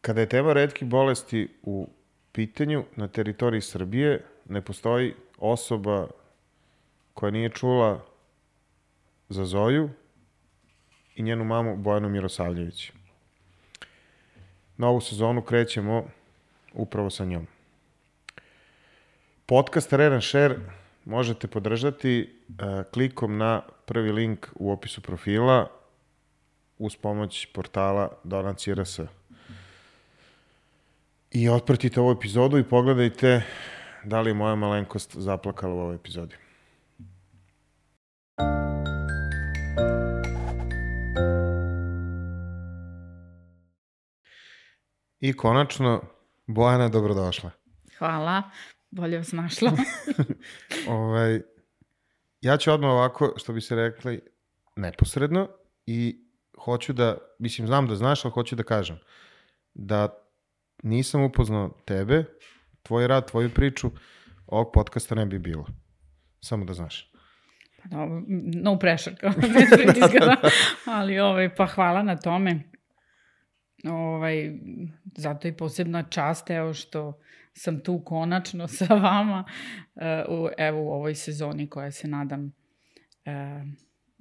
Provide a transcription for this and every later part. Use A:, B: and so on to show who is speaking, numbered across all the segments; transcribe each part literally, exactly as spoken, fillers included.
A: Kada je tema retkih bolesti u pitanju na teritoriji Srbije, ne postoji osoba koja nije čula za Zoju i njenu mamu Bojanu Mirosavljević. Na ovu sezonu krećemo upravo sa njom. Podcast Rare and Share možete podržati uh, klikom na prvi link u opisu profila uz pomoć portala Donacije R S. I otpratite ovu epizodu i pogledajte da li je moja malenkost zaplakala u ovoj epizodi. I konačno, Bojana, dobrodošla.
B: Hvala, bolje vas našla.
A: ovaj, ja ću odmah ovako, što bi se rekli, neposredno i hoću da, mislim, znam da znaš, ali hoću da kažem da nisam upoznao tebe, tvoj rad, tvoju priču, ovog podcasta ne bi bilo. Samo da znaš.
B: No, no pressure, kao bez pritiska, ali ovaj, pa hvala na tome. Ovaj, zato je posebna čast, evo što sam tu konačno sa vama, uh, evo u ovoj sezoni koja se nadam uh,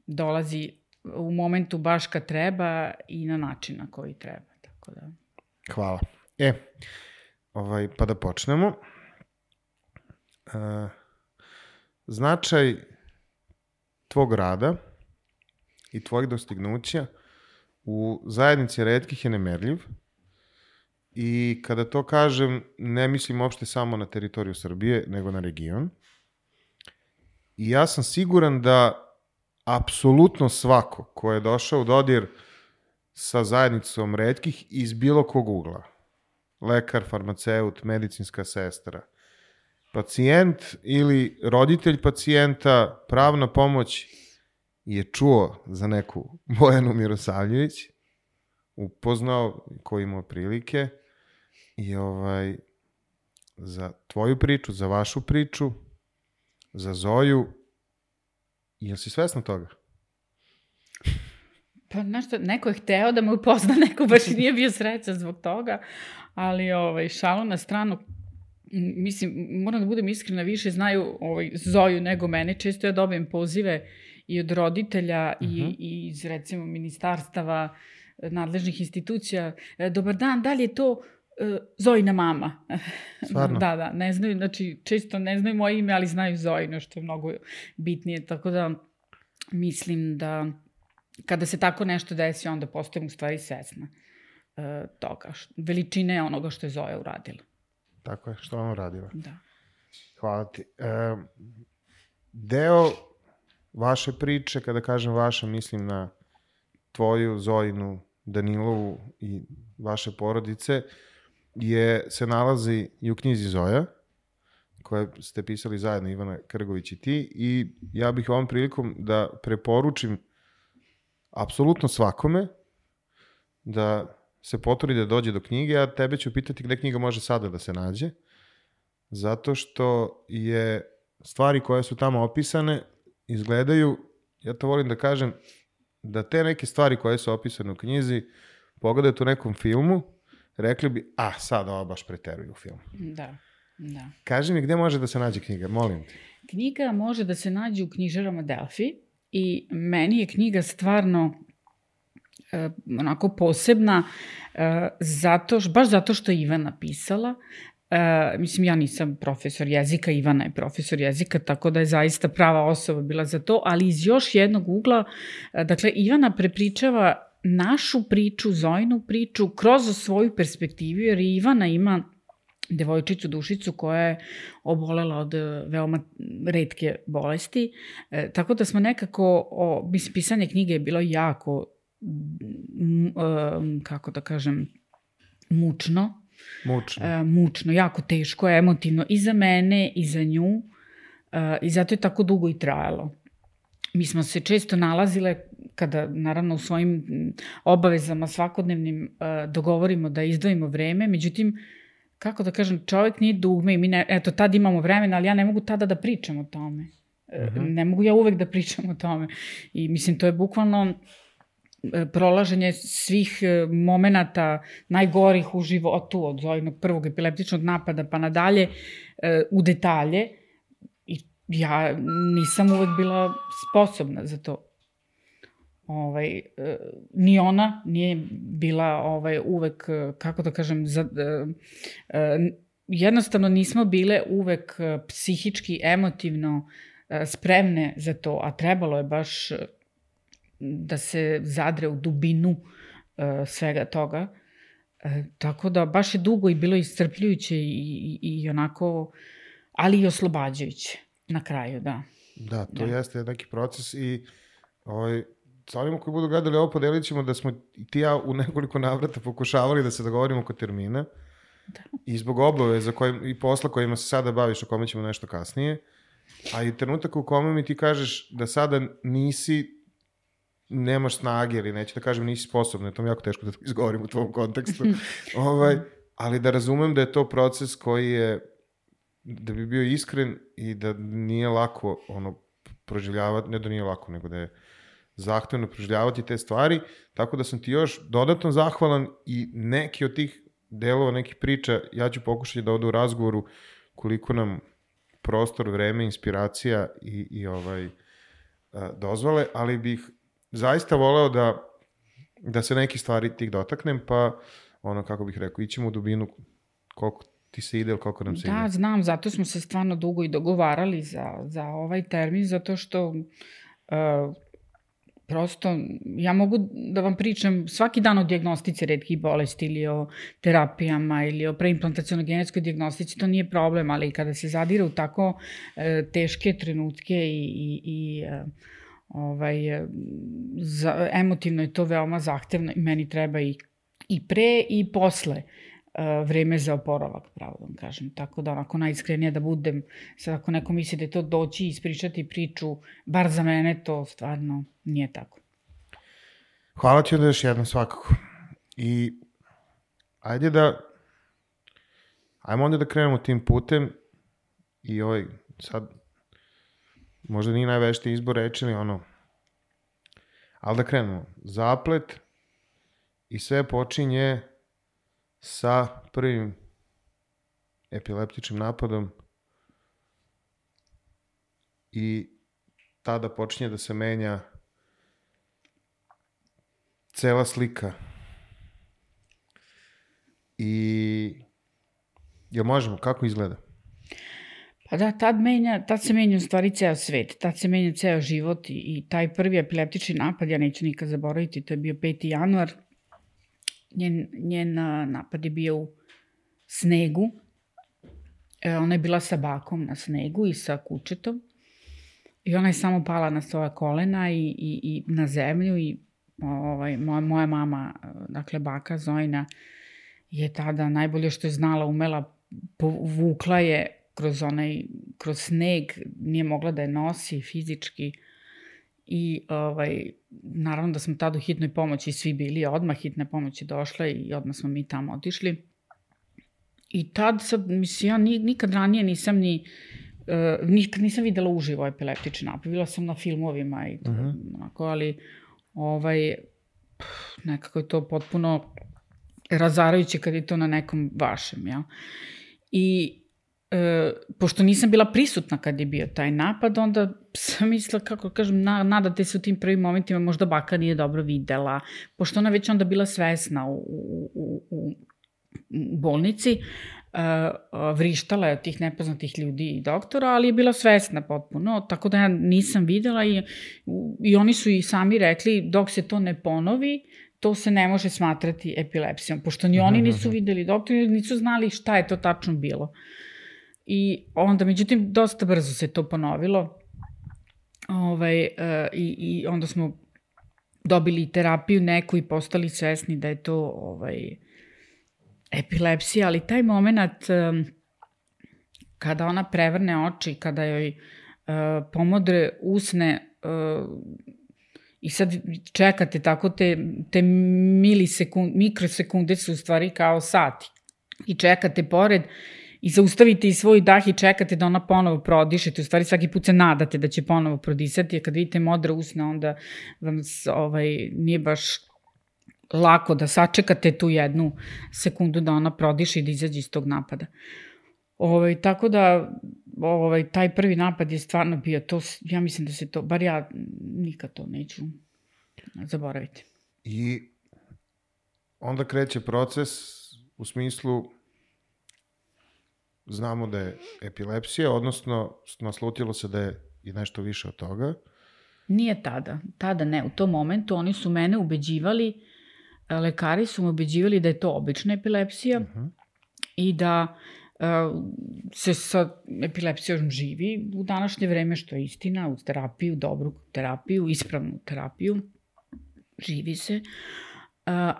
B: dolazi u momentu baš kad treba i na način na koji treba. Tako da.
A: Hvala. E, ovaj, pa da počnemo. Uh, značaj tvog rada i tvojih dostignuća u zajednici retkih je nemerljiv i kada to kažem ne mislim uopšte samo na teritoriju Srbije, nego na region. I ja sam siguran da apsolutno svako ko je došao u dodir sa zajednicom retkih iz bilo kog ugla, lekar, farmaceut, medicinska sestra, pacijent ili roditelj pacijenta, pravna pomoć, je čuo za neku Bojanu Mirosavljević, upoznao koji imao prilike i ovaj, za tvoju priču, za vašu priču, za Zoju. Jel si svesna toga?
B: Pa nešto, neko je hteo da me upozna, neko baš nije bio srećan zbog toga, ali ovaj, šalu na stranu, mislim, moram da budem iskrena, više znaju ovaj, Zoju nego mene, često ja dobijem pozive i od roditelja uh-huh. i, i iz, recimo, ministarstava, nadležnih institucija. Dobar dan, da li je to uh, Zojina mama?
A: Stvarno?
B: Da, da, ne znaju, znači, često ne znaju moje ime, ali znaju Zojino, što je mnogo bitnije, tako da mislim da kada se tako nešto desi, onda postajem u stvari svesna uh, toga, veličine onoga što je Zoja uradila.
A: Tako je, što ona uradila.
B: Da.
A: Hvala ti. E, deo vaše priče, kada kažem vaša, mislim na tvoju, Zojinu, Danilovu i vaše porodice, je, se nalazi i u knjizi Zoja, koje ste pisali zajedno, Ivana Krgović i ti, i ja bih ovom prilikom da preporučim apsolutno svakome da se potrudi da dođe do knjige, a tebe ću pitati gde knjiga može sada da se nađe, zato što je stvari koje su tamo opisane izgledaju, ja to volim da kažem, da te neke stvari koje su opisane u knjizi pogledajte u nekom filmu, rekli bi, a sad ovo baš preteruju u filmu.
B: Da, da.
A: Kaži mi gde može da se nađe knjiga, molim te.
B: Knjiga može da se nađe u knjižarama Delfi i meni je knjiga stvarno uh, onako posebna, uh, zato, baš zato što je Ivana pisala. Uh, mislim, ja nisam profesor jezika, Ivana je profesor jezika, tako da je zaista prava osoba bila za to, ali iz još jednog ugla, uh, dakle, Ivana prepričava našu priču, Zojinu priču, kroz svoju perspektivu, jer Ivana ima devojčicu Dušicu koja je obolela od veoma retke bolesti, uh, tako da smo nekako, o, mislim, pisanje knjige je bilo jako, m, um, kako da kažem, mučno,
A: Mučno.
B: Uh, mučno, jako teško, emotivno i za mene i za nju uh, i zato je tako dugo i trajalo. Mi smo se često nalazile kada, naravno, u svojim obavezama svakodnevnim uh, dogovorimo da izdvojimo vreme, međutim, kako da kažem, čovjek nije dugme i mi ne, eto, tad imamo vremena, ali ja ne mogu tada da pričam o tome. Uh-huh. Ne mogu ja uvek da pričam o tome. I mislim, to je bukvalno prolaženje svih momenata najgorih u životu, od onog prvog epileptičnog napada pa nadalje, u detalje. I ja nisam uvek bila sposobna za to. Ovaj, ni ona nije bila ovaj, uvek, kako da kažem, za, jednostavno nismo bile uvek psihički, emotivno spremne za to, a trebalo je baš da se zadre u dubinu uh, svega toga. Uh, tako da baš je dugo i bilo iscrpljujuće i, i, i onako, ali i oslobađajuće na kraju, da.
A: Da, to da. Jeste neki proces i ovaj, sa onima koji budu gledali ovo podelit ćemo da smo ti ja u nekoliko navrata pokušavali da se dogovorimo oko termina da. I zbog obaveza kojim, i posla kojima se sada baviš, o kome ćemo nešto kasnije, a i trenutak u kome mi ti kažeš da sada nisi nemaš snage ili neću da kažem nisi sposobna, to mi je jako teško da to izgovorim u tvom kontekstu, ovaj, ali da razumem da je to proces koji je, da bi bio iskren i da nije lako ono, proživljavati, ne da nije lako, nego da je zahtevno proživljavati te stvari, tako da sam ti još dodatno zahvalan i neki od tih delova, nekih priča, ja ću pokušati da ovde u razgovoru koliko nam prostor, vreme, inspiracija i, i ovaj, dozvole, ali bih zaista voleo da, da se neki stvari tih dotaknem, pa ono, kako bih rekao, ićemo u dubinu koliko ti se ide ili koliko nam se
B: da,
A: ide.
B: Da, znam, zato smo se stvarno dugo i dogovarali za, za ovaj termin, zato što uh, prosto ja mogu da vam pričam svaki dan o dijagnostici retkih bolesti ili o terapijama ili o preimplantacionoj genetskoj dijagnostici, to nije problem, ali kada se zadire u tako uh, teške trenutke i, i, i uh, Ovaj, za, emotivno je to veoma zahtevno i meni treba i, i pre i posle uh, vreme za oporavak, pravo da vam kažem. Tako da onako najiskrenije da budem, sad ako neko misli da je to doći i ispričati priču, bar za mene to stvarno nije tako.
A: Hvala ti onda još jedno svakako. I ajde da, ajmo onda da krenemo tim putem i ovaj sad možda nije najveštiji izbor reči, ali ono, ali da krenemo. Zaplet i sve počinje sa prvim epileptičnim napadom i tada počinje da se menja cela slika. I jel možemo, kako izgleda?
B: Pa da, tad, menja, tad se menja u stvari ceo svet, tad se menja ceo život i, i taj prvi epileptični napad, ja neću nikad zaboraviti, to je bio peti januar, njen, njen napad je bio u snegu, e, ona je bila sa bakom na snegu i sa kučetom i ona je samo pala na svoja kolena i, i, i na zemlju i ovaj, moja, moja mama, dakle baka Zojna, je tada najbolje što je znala, umela, povukla je kroz onaj, kroz sneg, nije mogla da je nosi fizički i ovaj, naravno da smo tada u hitnoj pomoći svi bili, odmah hitne pomoći došle i odmah smo mi tamo otišli. I tad sad, mislim, ja nikad ranije nisam ni, uh, nikad nisam videla uživo epileptični napad, bila sam na filmovima i to, uh-huh. onako, ali ovaj, nekako je to potpuno razarajuće kad je to na nekom vašem, ja. I E, pošto nisam bila prisutna kad je bio taj napad, onda sam mislila, kako kažem, na, nadate se u tim prvim momentima, možda baka nije dobro videla, pošto ona već onda bila svesna u, u, u, u bolnici, e, vrištala je od tih nepoznatih ljudi i doktora, ali je bila svesna potpuno, tako da ja nisam videla i, i oni su i sami rekli, dok se to ne ponovi, to se ne može smatrati epilepsijom, pošto ni oni nisu videli, doktori nisu znali šta je to tačno bilo. I onda, međutim, dosta brzo se to ponovilo ovaj, uh, i, i onda smo dobili terapiju neku i postali svesni da je to ovaj, epilepsija, ali taj moment um, kada ona prevrne oči, kada joj uh, pomodre usne uh, i sad čekate tako te, te milisekund, mikrosekunde su u stvari kao sati i čekate pored i zaustavite i svoj dah i čekate da ona ponovo prodišete, u stvari svaki put se nadate da će ponovo prodisati, a kad vidite modre usne, onda vam ovaj, nije baš lako da sačekate tu jednu sekundu da ona prodiše i da izađe iz tog napada. Ovaj, tako da ovaj, taj prvi napad je stvarno bio to, ja mislim da se to, bar ja nikad to neću zaboraviti.
A: I onda kreće proces u smislu znamo da je epilepsija, odnosno naslutilo se da je i nešto više od toga.
B: Nije tada, tada ne, u tom momentu oni su mene ubeđivali, lekari su me ubeđivali da je to obična epilepsija uh-huh. i da uh, se sa epilepsijom živi u današnje vreme, što je istina, uz terapiju, dobru terapiju, ispravnu terapiju, živi se, uh,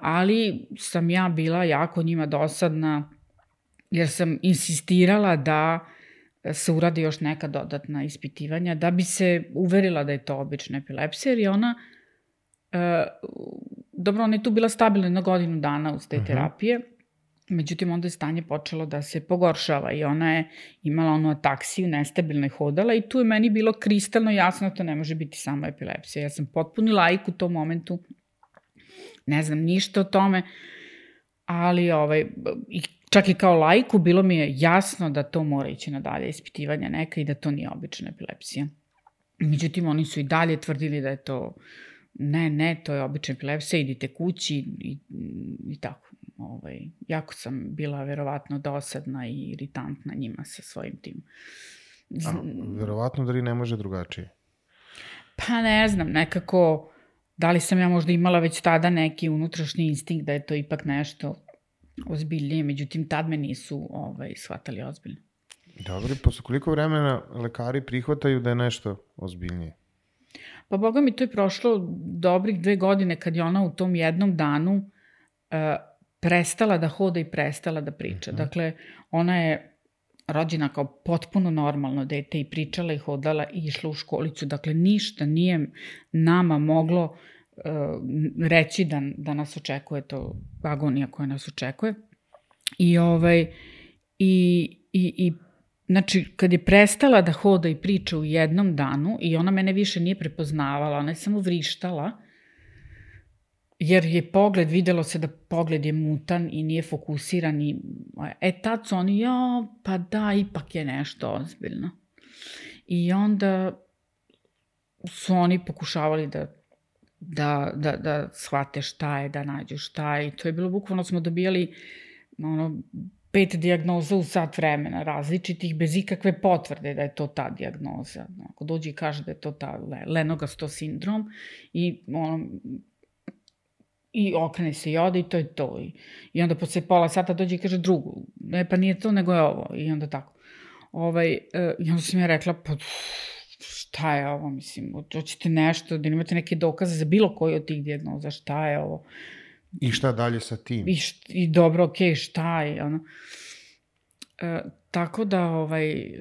B: ali sam ja bila jako njima dosadna, jer sam insistirala da se uradi još neka dodatna ispitivanja, da bi se uverila da je to obična epilepsija, jer je ona, uh, dobro, ona je tu bila stabilna jedno godinu dana uz te uh-huh. terapije, međutim onda je stanje počelo da se pogoršava i ona je imala onu ataksiju, nestabilno je hodala i tu je meni bilo kristalno jasno da to ne može biti samo epilepsija. Ja sam potpuni laik u tom momentu, ne znam ništa o tome, ali ovaj, čak i kao laiku bilo mi je jasno da to mora ići na dalje ispitivanja neka i da to nije obična epilepsija. Međutim, oni su i dalje tvrdili da je to, ne, ne, to je obična epilepsija, idite kući i, i tako. Ovaj, jako sam bila verovatno dosadna i iritantna njima sa svojim tim.
A: A, verovatno da li ne može drugačije?
B: Pa ne znam, nekako, da li sam ja možda imala već tada neki unutrašnji instinkt da je to ipak nešto ozbiljnije, međutim tad me nisu ovaj, shvatali ozbiljno.
A: Dobro, posle koliko vremena lekari prihvataju da je nešto ozbiljnije?
B: Pa boga mi, to je prošlo dobrih dve godine kad je ona u tom jednom danu uh, prestala da hoda i prestala da priča. Uh-huh. Dakle, ona je rođena kao potpuno normalno dete i pričala i hodala i išla u školicu. Dakle, ništa nije nama moglo uh, reći da, da nas očekuje to agonija koja nas očekuje. I, ovaj, i, i, i znači, kad je prestala da hoda i priča u jednom danu i ona mene više nije prepoznavala, ona je samo vrištala, jer je pogled, videlo se da pogled je mutan i nije fokusiran i e tad su oni, ja, pa da, ipak je nešto ozbiljno. I onda su oni pokušavali da, da, da, da shvate šta je, da nađu šta je i to je bilo bukvalno, smo dobijali ono, pet dijagnoza u sat vremena, različitih, bez ikakve potvrde da je to ta dijagnoza. Ako dođe i kaže da je to ta Lennox sindrom i ono, i okrene se i ode i to je to. I, i onda posle pola sata dođe i kaže drugu. Ne, pa nije to, nego je ovo. I onda tako. Ovaj, e, I onda sam ja rekla, pa šta je ovo, mislim, hoćete nešto, da imate neke dokaze za bilo koji od tih dijagnoza, šta je ovo.
A: I šta dalje sa tim?
B: I, št, i dobro, okej, okay, šta je, ono. E, tako da, ovaj,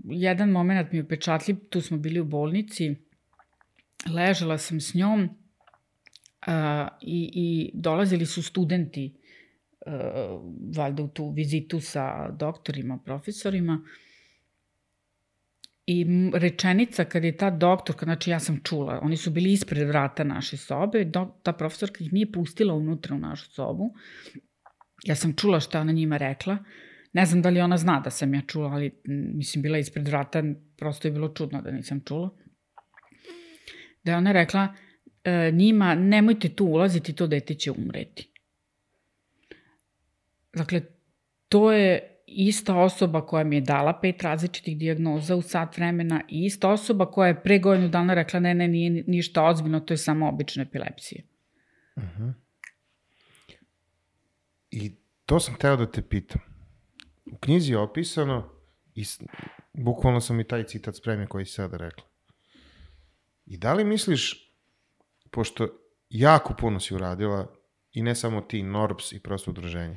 B: jedan moment mi je upečatljiv, tu smo bili u bolnici, ležala sam s njom, Uh, i, i dolazili su studenti uh, valjda u tu vizitu sa doktorima, profesorima i rečenica kad je ta doktorka, znači ja sam čula, oni su bili ispred vrata naše sobe, do, ta profesorka ih nije pustila unutra u našu sobu, ja sam čula šta ona njima rekla, ne znam da li ona zna da sam ja čula, ali mislim bila ispred vrata, prosto je bilo čudno da nisam čula, da je ona rekla njima, nemojte tu ulaziti, to dete će umreti. Dakle, to je ista osoba koja mi je dala pet različitih dijagnoza u sat vremena i ista osoba koja je pre godinu dana rekla ne, ne, nije ništa ozbiljno, to je samo obična epilepsija.
A: Uh-huh. I to sam hteo da te pitam. U knjizi je opisano, i bukvalno sam i taj citat spremio koji si sada rekla. I da li misliš, pošto jako puno si uradila, i ne samo ti, N O R B S i prosto udruženje,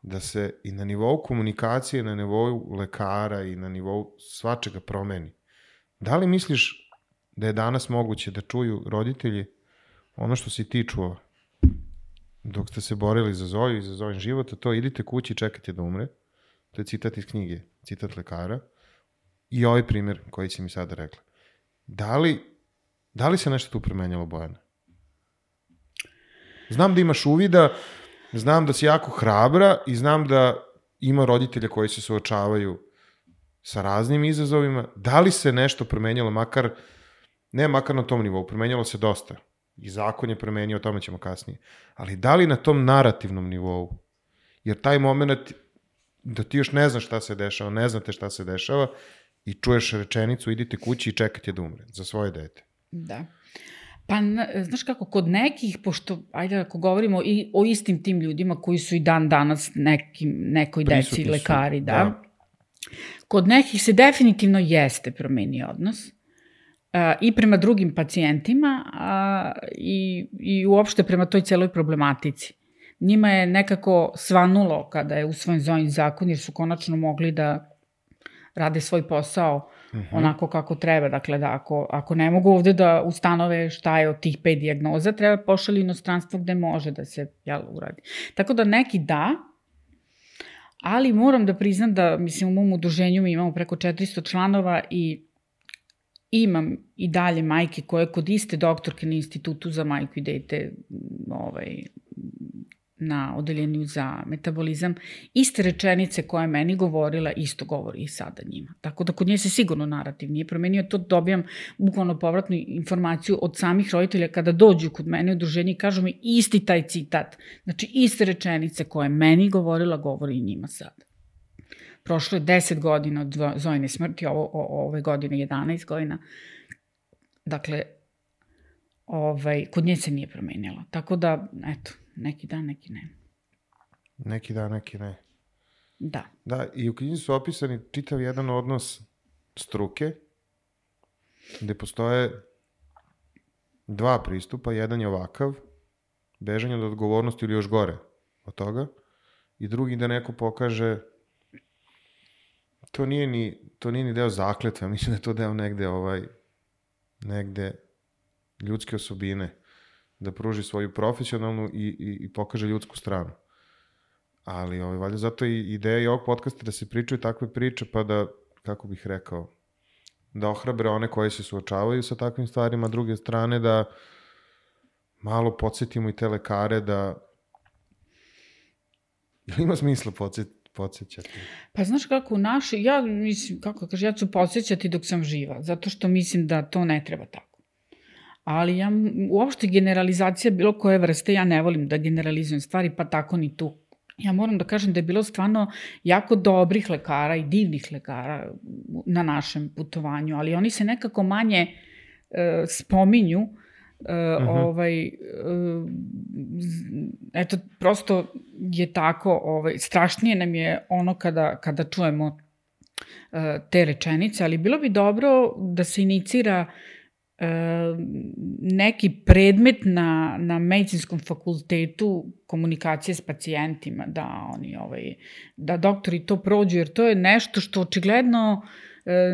A: da se i na nivou komunikacije, na nivou lekara i na nivou svačega promeni. Da li misliš da je danas moguće da čuju roditelji ono što si ti čuo dok ste se borili za Zoju i za Zojin život, a to idite kući i čekajte da umre, to je citat iz knjige, citat lekara, i ovaj primjer koji si mi sada rekla. Da li, da li se nešto tu promenjalo, Bojana? Znam da imaš uvida, znam da si jako hrabra i znam da ima roditelja koji se suočavaju sa raznim izazovima. Da li se nešto promenjalo, makar, ne makar na tom nivou, promenjalo se dosta. I zakon je promenio, o tome ćemo kasnije. Ali da li na tom narativnom nivou? Jer taj moment da ti još ne znaš šta se dešava, ne znate šta se dešava i čuješ rečenicu, idite kući i čekajte da umre za svoje dete.
B: Da. Pa, znaš kako, kod nekih, pošto, ajde ako govorimo i o istim tim ljudima koji su i dan danas nekim, nekoj deci lekari, da, da, kod nekih se definitivno jeste promenio odnos uh, i prema drugim pacijentima uh, i, i uopšte prema toj celoj problematici. Njima je nekako svanulo kada je usvojen Zojin zakon, jer su konačno mogli da rade svoj posao uh-huh. onako kako treba. Dakle, da ako, ako ne mogu ovde da ustanove šta je od tih pet dijagnoza, treba pošalju inostranstvo gde može da se jel, uradi. Tako da neki da, ali moram da priznam da, mislim, u mom udruženju mi imamo preko četiristo članova i imam i dalje majke koje kod iste doktorke na Institutu za majku i dete ovaj, na odeljenju za metabolizam, iste rečenice koje je meni govorila, isto govori i sada njima. Tako da kod nje se sigurno narativ nije promenio, to dobijam bukvalno povratnu informaciju od samih roditelja kada dođu kod mene u udruženje i kažu mi isti taj citat. Znači iste rečenice koje je meni govorila, govori i njima sada. Prošlo je deset godina od Zojine smrti, ovo, o, ove godine jedanaest godina. Dakle, ovaj, kod nje se nije promenilo. Tako da, eto, neki da, neki ne.
A: Neki da, neki ne.
B: Da.
A: Da, i u knjizi su opisani čitav jedan odnos struke, gde postoje dva pristupa. Jedan je ovakav, bežanje od odgovornosti ili još gore od toga, i drugi da neko pokaže, to nije ni, to nije ni deo zakletve, mislim da je to deo negde, ovaj, negde ljudske osobine, da pruži svoju profesionalnu i, i, i pokaže ljudsku stranu. Ali ovaj, valjda zato i ideja i ovog podcasta da se pričaju takve priče, pa da, kako bih rekao, da ohrabre one koji se suočavaju sa takvim stvarima, a druge strane da malo podsjetimo i te lekare da... Ili ima smisla podsjet, podsjećati?
B: Pa znaš kako, u našoj, ja mislim, kako kaže, ja ću podsjećati dok sam živa, zato što mislim da to ne treba tako. Ali ja, uopšte generalizacija bilo koje vrste, ja ne volim da generalizujem stvari, pa tako ni tu. Ja moram da kažem da je bilo stvarno jako dobrih lekara i divnih lekara na našem putovanju, ali oni se nekako manje e, spominju. E, uh-huh. ovaj, e, eto, prosto je tako, ovaj, strašnije nam je ono kada, kada čujemo e, te rečenice, ali bilo bi dobro da se inicira neki predmet na, na medicinskom fakultetu komunikacije s pacijentima, da oni ovaj, da doktori to prođu, jer to je nešto što očigledno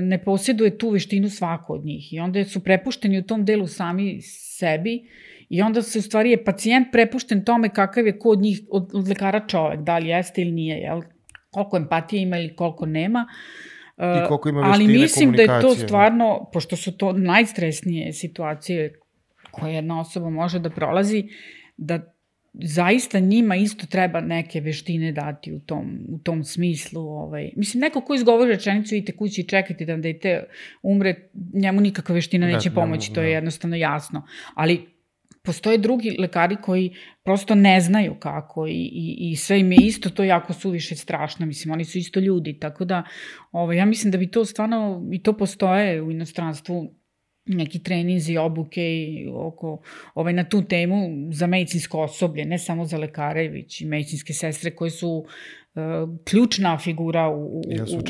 B: ne posjeduje tu veštinu svako od njih i onda su prepušteni u tom delu sami sebi i onda se u stvari je pacijent prepušten tome kakav je ko od njih, od, od lekara čovek, da li jeste ili nije, jel? Koliko empatije ima ili koliko nema.
A: I koliko ima veštine
B: ali mislim da je to stvarno,
A: ne?
B: Pošto su to najstresnije situacije koje jedna osoba može da prolazi, da zaista njima isto treba neke veštine dati u tom, u tom smislu. Ovaj. Mislim, neko ko izgovori rečenicu, idite kući i čekajte da dete umre, njemu nikakva veština neće da, pomoći, ne, to je da. Jednostavno jasno. Ali postoje drugi lekari koji prosto ne znaju kako i, i, i sve im je isto to jako suviše strašno. Mislim, oni su isto ljudi, tako da ovaj, ja mislim da bi to stvarno, i to postoje u inostranstvu, neki treninzi, obuke i oko, ovaj, na tu temu za medicinsko osoblje, ne samo za lekare, već i medicinske sestre koje su uh, ključna figura u, u,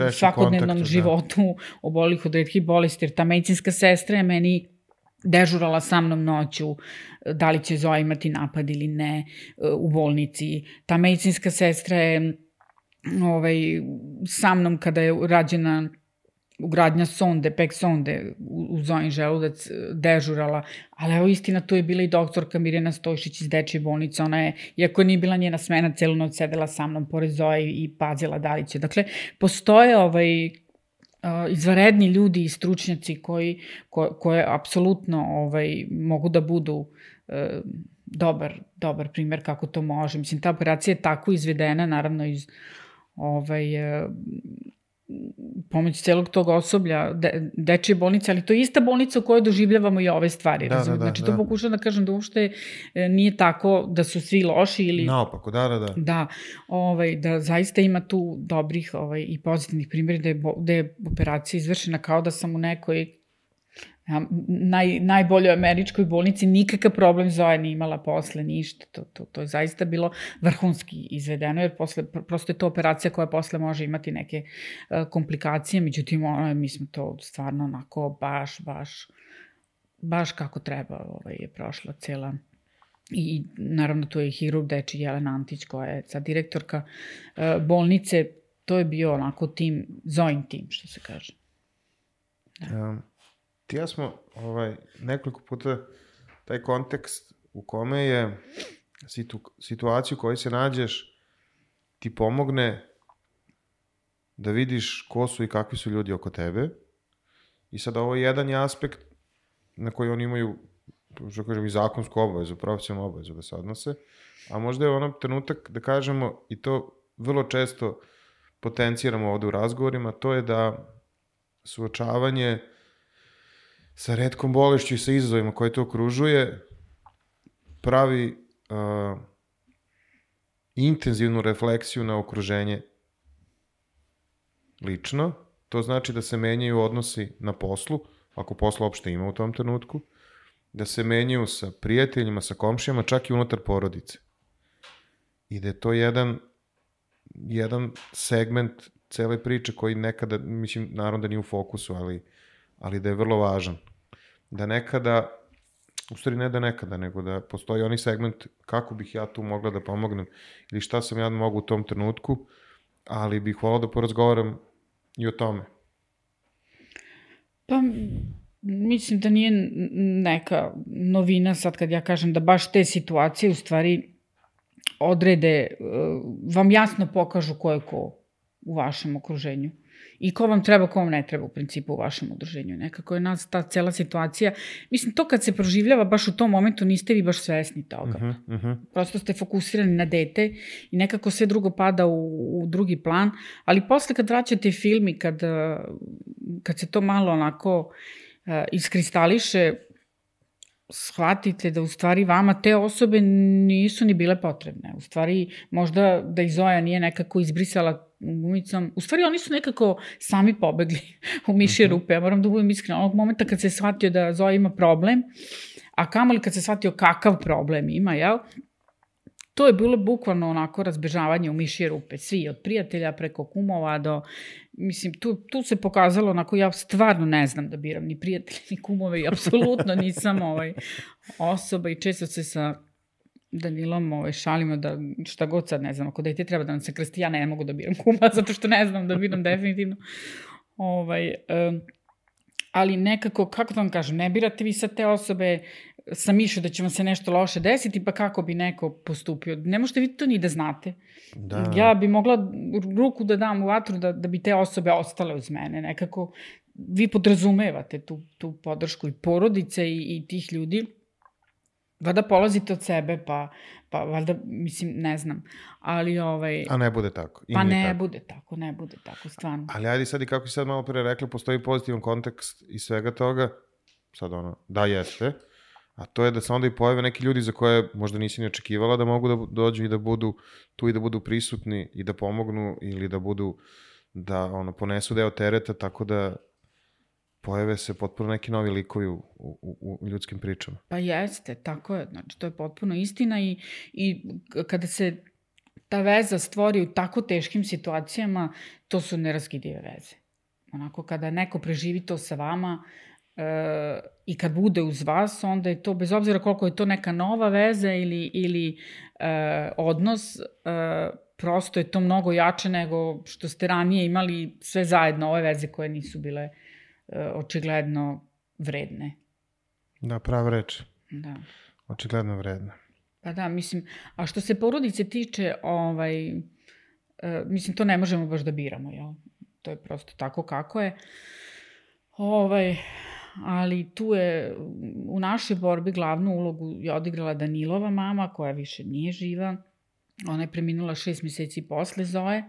B: u svakodnevnom kontaktu, životu da. Obolelih od retkih bolesti, jer ta medicinska sestra je meni dežurala sa mnom noću, da li će Zoja imati napad ili ne u bolnici. Ta medicinska sestra je ovaj, sa mnom kada je rađena ugradnja sonde, pek sonde u, u Zojin želudac dežurala, ali evo istina, tu je bila i doktorka Mirjana Stojšić iz Dečje bolnice, ona je, iako nije bila njena smena, celu noć sedela sa mnom pored Zoje i pazila da li će. Dakle, postoje ovaj, izvanredni ljudi i stručnjaci koji, ko, koje apsolutno ovaj, mogu da budu e, dobar, dobar primer kako to može. Mislim, ta operacija je tako izvedena, naravno iz ovaj, e, pomoć celog tog osoblja, de, Dečje bolnice, ali to je ista bolnica u kojoj doživljavamo i ove stvari.
A: Da, da, da,
B: znači,
A: da.
B: to pokušam da kažem da uopšte nije tako da su svi loši ili...
A: Naopako, da, da, da.
B: Da, ovaj, da zaista ima tu dobrih ovaj, i pozitivnih primjera da je, da je operacija izvršena kao da sam u nekoj naj, najboljoj američkoj bolnici, nikakav problem Zoja nije imala posle, ništa. To, to, to je zaista bilo vrhunski izvedeno, jer posle, prosto je to operacija koja posle može imati neke uh, komplikacije, međutim, ono, mi smo to stvarno onako baš, baš, baš kako treba ovaj, je prošla cela. I naravno tu je hirurg Dečiji Jelena Antić koja je sad direktorka uh, bolnice, to je bio onako tim, Zojin tim, što se kaže.
A: Da. Um. Ti ja smo ovaj, nekoliko puta taj kontekst u kome je situ, situaciju u kojoj se nađeš ti pomogne da vidiš ko su i kakvi su ljudi oko tebe. I sad ovo je jedan je aspekt na koji oni imaju, što kažem, i zakonsku obavezu, profesionalnu obavezu da se odnose, a možda je ono trenutak da kažemo, i to vrlo često potenciramo ovde u razgovorima, to je da suočavanje sa retkom bolešću i sa izazovima koje to okružuje, pravi uh, intenzivnu refleksiju na okruženje lično. To znači da se menjaju odnosi na poslu, ako posla uopšte ima u tom trenutku, da se menjaju sa prijateljima, sa komšijama, čak i unutar porodice. I da je to jedan, jedan segment cele priče koji nekada, mislim, naravno da nije u fokusu, ali ali da je vrlo važan. Da nekada, u stvari ne da nekada, nego da postoji onaj segment kako bih ja tu mogla da pomognem ili šta sam ja mogu u tom trenutku, ali bih volao da porazgovaram i o tome.
B: Pa, mislim da nije neka novina sad kad ja kažem da baš te situacije u stvari odrede, vam jasno pokažu ko je ko u vašem okruženju. I ko vam treba, ko vam ne treba u principu u vašem udruženju. Nekako je nas ta cela situacija, mislim, to kad se proživljava baš u tom momentu niste vi baš svesni toga. Uh-huh, uh-huh. Prosto ste fokusirani na dete i nekako sve drugo pada u, u drugi plan, ali posle kad vraćate film i kad, kad se to malo onako uh, iskristališe, shvatite da u stvari vama te osobe nisu ni bile potrebne. U stvari, možda da i Zoja nije nekako izbrisala gumicom. U stvari, oni su nekako sami pobegli u mišje rupe. Ja moram da budem iskrena. Onog momenta kad se shvatio da Zoja ima problem, a kamoli kad se shvatio kakav problem ima, jel? To je bilo bukvalno onako razbežavanje u mišje rupe. Svi, od prijatelja preko kumova do... Mislim, tu, tu se pokazalo onako, ja stvarno ne znam da biram ni prijatelje, ni kumove i apsolutno nisam ovaj, osoba i često se sa Danilom ovaj, šalimo da šta god sad ne znam, ako dete treba da nam se krsti, ja ne mogu da biram kuma, zato što ne znam da biram definitivno. Ovaj, um, ali nekako, kako da vam kažem, ne birate vi sad te osobe sa mišlju da će vam se nešto loše desiti, pa kako bi neko postupio. Ne možete vi to ni da znate. Da. Ja bi mogla ruku da dam u vatru da, da bi te osobe ostale uz mene. Nekako vi podrazumevate tu, tu podršku i porodice i, i tih ljudi. Valjda polazite od sebe, pa, pa valjda, mislim, ne znam. Ali ovaj...
A: A ne bude tako. I
B: pa ne
A: tako.
B: bude tako, ne bude tako, stvarno.
A: Ali ajde sad i kako si sad malo pre rekla, postoji pozitivan kontekst i svega toga. Sad ono, da jeste. A to je da se onda i pojave neki ljudi za koje možda nisi ni očekivala da mogu da dođu i da budu tu i da budu prisutni i da pomognu ili da budu, da ono, ponesu deo tereta, tako da pojave se potpuno neki novi likovi u, u, u ljudskim pričama.
B: Pa jeste, tako je. Znači, to je potpuno istina i, i kada se ta veza stvori u tako teškim situacijama, to su neraskidive veze. Onako, kada neko preživi to sa vama, E, i kad bude uz vas, onda je to, bez obzira koliko je to neka nova veza ili, ili e, odnos, e, prosto je to mnogo jače nego što ste ranije imali sve zajedno, ove veze koje nisu bile uh, očigledno vredne.
A: Da, prava reč.
B: Da.
A: Očigledno vredne.
B: Pa da, mislim, a što se porodice tiče, ovaj, uh, mislim, to ne možemo baš da biramo, jel? To je prosto tako kako je. Ovaj, ali tu je u našoj borbi glavnu ulogu je odigrala Danilova mama, koja više nije živa. Ona je preminula šest meseci posle Zoe,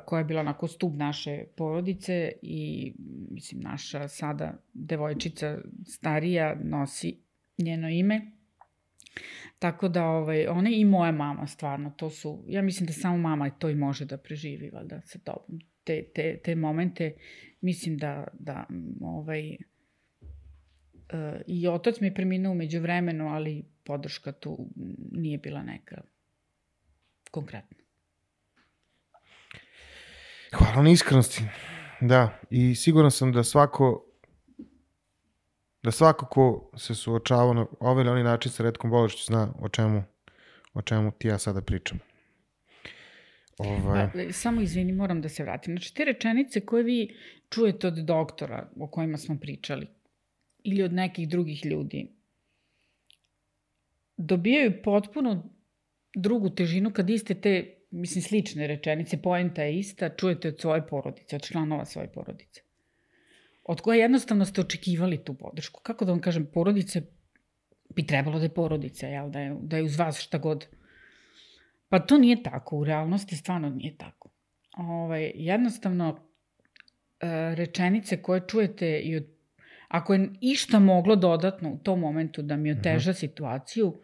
B: koja je bila onako stub naše porodice i, mislim, naša sada devojčica starija nosi njeno ime. Tako da, ovaj, ona i moja mama, stvarno, to su, ja mislim da samo mama to i može da preživi, valjda, sa tobom. Te, te, te momente, mislim da, da ovaj, uh, i otac mi je preminuo umeđu vremenu, ali podrška tu nije bila neka konkretna.
A: Hvala na iskrenosti. Da, i siguran sam da svako da svako ko se suočava na ovaj ili onaj način sa retkom bolešću zna o čemu, o čemu ti ja sada pričam. Ovaj...
B: Pa, samo izvini, moram da se vratim. Znači, te rečenice koje vi čujete od doktora o kojima smo pričali ili od nekih drugih ljudi dobijaju potpuno drugu težinu kad iste te, mislim, slične rečenice, poenta je ista, čujete od svoje porodice, od članova svoje porodice, od koje jednostavno ste očekivali tu podršku. Kako da vam kažem, porodice bi trebalo da je porodica, jel? Da je, da je uz vas šta god. Pa to nije tako, u realnosti stvarno nije tako. Ovaj, jednostavno, rečenice koje čujete, i od, ako je išta moglo dodatno u tom momentu da mi oteža situaciju,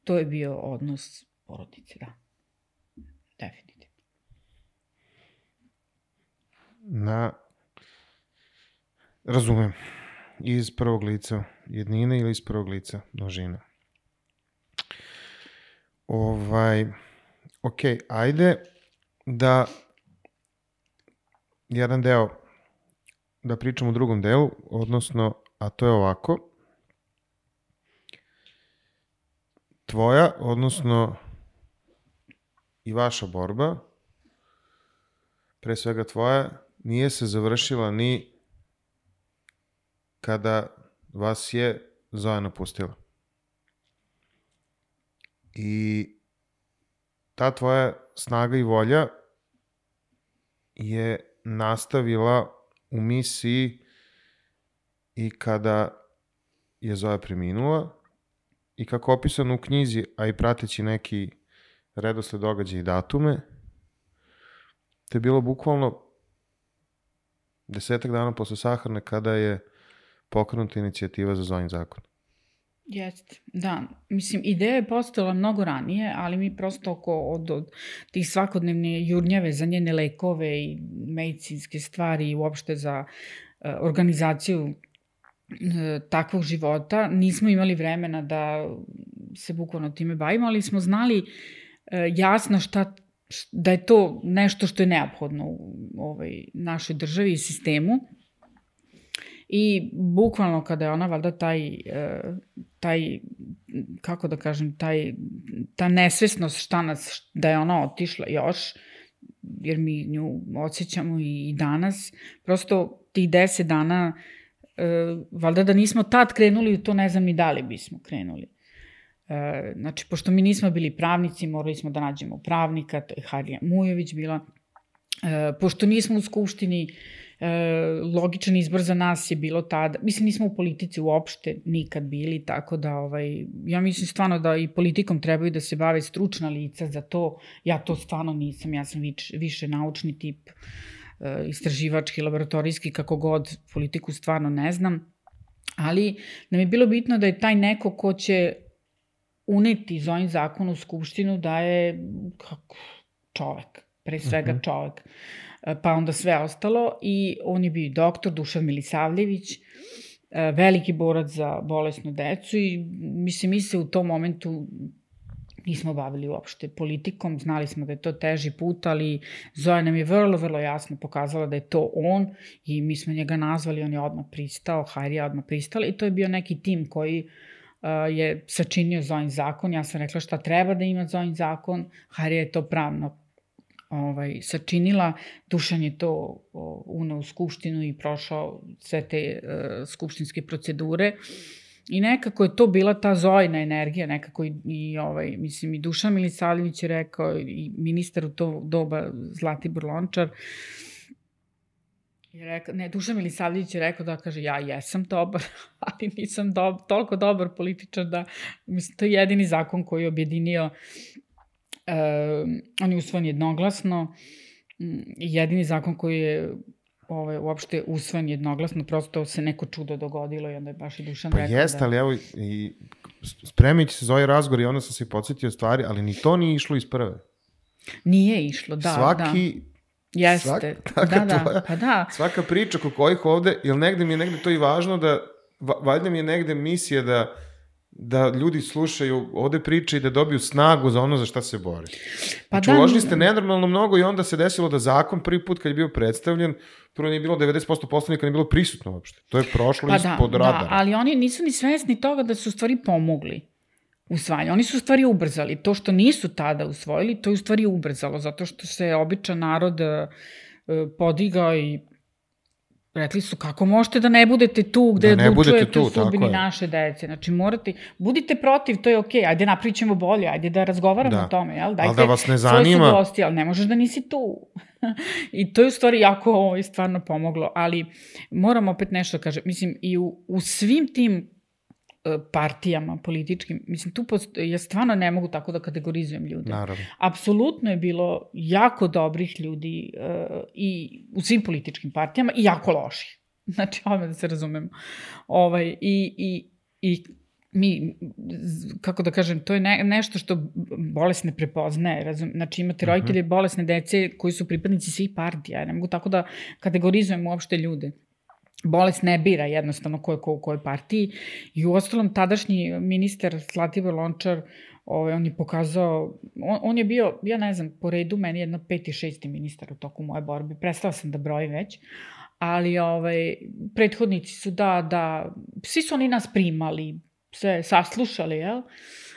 B: to je bio odnos porodice, da. Definitivno.
A: Na... Razumem. Iz prvog lica jednine ili iz prvog lica množine. Ovaj, ok, ajde da jedan deo, da pričam u drugom delu, odnosno, a to je ovako. Tvoja, odnosno i vaša borba, pre svega tvoja, nije se završila ni kada vas je Zoja napustila. I ta tvoja snaga i volja je nastavila u misiji i kada je Zoja preminula i kako opisano u knjizi, a i prateći neki redosled događaja i datume, to je bilo bukvalno desetak dana posle sahrane kada je pokrenuta inicijativa za Zojin zakon.
B: Jeste, da. Mislim, ideja je postojala mnogo ranije, ali mi prosto oko od, od tih svakodnevne jurnjave za njene lekove i medicinske stvari i uopšte za uh, organizaciju uh, takvog života nismo imali vremena da se bukvalno time bavimo, ali smo znali uh, jasno šta, da je to nešto što je neophodno u ovoj našoj državi i sistemu. I bukvalno kada je ona, valjda, taj, taj, kako da kažem, taj, ta nesvesnost šta nas, da je ona otišla još, jer mi nju osjećamo i danas, prosto tih deset dana, valjda da nismo tad krenuli u to, ne znam ni da li bismo krenuli. Znači, pošto mi nismo bili pravnici, morali smo da nađemo pravnika, to je Harija Mujović bila, pošto nismo u Skupštini, logičan izbor za nas je bilo tada, mislim, nismo u politici uopšte nikad bili, tako da ovaj, ja mislim stvarno da i politikom trebaju da se bave stručna lica za to. Ja to stvarno nisam, ja sam vič, više naučni tip, istraživački, laboratorijski, kako god, politiku stvarno ne znam, ali nam je bilo bitno da je taj neko ko će uneti Zojin zakon u Skupštinu da je kako, čovek, pre svega uh-huh. čovek, pa onda sve ostalo, i on je bio doktor Dušan Milisavljević, veliki borac za bolesnu decu, i mislim, mi se u tom momentu nismo bavili uopšte politikom, znali smo da je to teži put, ali Zoja nam je vrlo, vrlo jasno pokazala da je to on i mi smo njega nazvali, on je odmah pristao, Harija odmah pristala, i to je bio neki tim koji je sačinio Zojin zakon. Ja sam rekla šta treba da ima Zojin zakon. Harija je to pravno ovaj, sačinila. Dušan je to uneo u skupštinu i prošao sve te uh, skupštinske procedure. I nekako je to bila ta Zojina energija, nekako i, i ovaj, mislim, i Dušan Milisavljević je rekao, i ministar u to doba Zlatibor Lončar, je rekao, ne, Dušan Milisavljević je rekao da, kaže, ja jesam dobar, ali nisam do, toliko dobar političar da, mislim, to je jedini zakon koji je objedinio, uh, on je usvojen jednoglasno, jedini zakon koji je Ovaj, uopšte usvojen jednoglasno, prosto se neko čudo dogodilo i onda je baš i Dušan
A: pa
B: rekao
A: jest,
B: da...
A: ali evo, i spremići se za ovaj razgovor i onda sam se podsjetio stvari, ali ni to nije išlo iz prve.
B: Nije išlo, da,
A: Svaki,
B: da. Jeste,
A: svak,
B: da, da,
A: tvoja,
B: pa da.
A: Svaka priča ko kojih ovde, jer negde mi je negde to i važno da, valjda mi je negde misija da da ljudi slušaju ovde priče i da dobiju snagu za ono za šta se bore.
B: Pa
A: znači,
B: da,
A: uložili ste nenormalno mnogo i onda se desilo da zakon prvi put kad je bio predstavljen, prvo nije bilo devedeset posto poslanika, nije bilo prisutno uopšte. To je prošlo
B: pa
A: ispod
B: da,
A: radara.
B: Da, ali oni nisu ni svesni toga da su u stvari pomogli usvajanju. Oni su u stvari ubrzali. To što nisu tada usvojili, to je u stvari ubrzalo, zato što se običan narod uh, podigao i rekli su, kako možete da ne budete tu gde da odlučujete u sudbini naše dece. Znači, morate, budite protiv, to je okej, okay. Ajde napravit ćemo bolje, ajde da razgovaramo da. o tome, jel? Dajte,
A: ali da vas ne zanima...
B: Svoje ali ne možeš da nisi tu. I to je u stvari jako ovo stvarno pomoglo, ali moram opet nešto kažem, mislim, i u, u svim tim partijama političkim, mislim, tu posto, ja stvarno ne mogu tako da kategorizujem ljude.
A: Naravno.
B: Apsolutno je bilo jako dobrih ljudi uh, i u svim političkim partijama i jako loših. Znači, ovdje da se razumemo. Ovaj, i, i, i mi, kako da kažem, to je ne, nešto što bolest ne prepoznaje. Razum, znači, imate roditelje bolesne dece koji su pripadnici svih partija. Ja ne mogu tako da kategorizujem uopšte ljude. Bolest ne bira jednostavno ko je ko u kojoj partiji i u ostalom tadašnji ministar Zlatibor Lončar, ovaj, on je pokazao, on, on je bio, ja ne znam, po redu meni jedno peti, šesti ministar u toku moje borbe, prestala sam da brojim već, ali ovaj, prethodnici su da, da, svi su oni nas primali, sve saslušali, jel?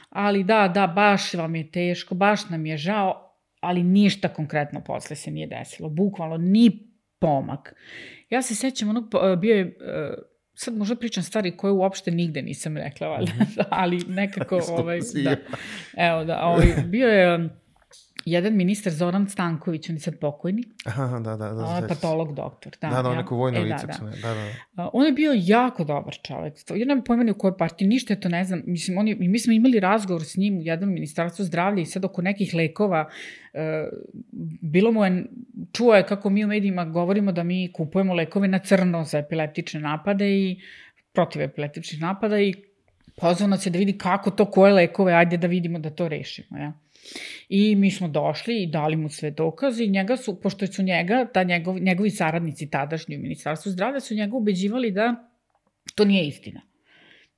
B: Ali da, da, baš vam je teško, baš nam je žao, ali ništa konkretno posle se nije desilo, bukvalno ni pomak. Ja se sećam onog, bio je, sad možda pričam stvari koje uopšte nigde nisam rekla, valjda, ali nekako, ovaj, da, evo da, ovaj, bio je jedan ministar Zoran Stanković, on je sad pokojni.
A: Aha, da, da, da.
B: On je patolog doktor. Da,
A: da, da, on
B: ja,
A: neko vojno
B: e,
A: lice.
B: Da, da.
A: Da, da, da.
B: On je bio jako dobar čovek. Ja nemam pojma ni u kojoj partiji, ništa je to ne znam. Mislim, on je, mi smo imali razgovor s njim u jednom ministarstvu zdravlja i sad oko nekih lekova, uh, bilo mu je, čuo je kako mi u medijima govorimo da mi kupujemo lekove na crno za epileptične napade i protiv epileptičnih napada i pozvao nas je da vidi kako to, koje lekove, ajde da vidimo da to rešimo, ja. I mi smo došli i dali mu sve dokaze i njega su, pošto su njega, ta njegov, njegovi saradnici tadašnji u Ministarstvu zdravlja su njega ubeđivali da to nije istina.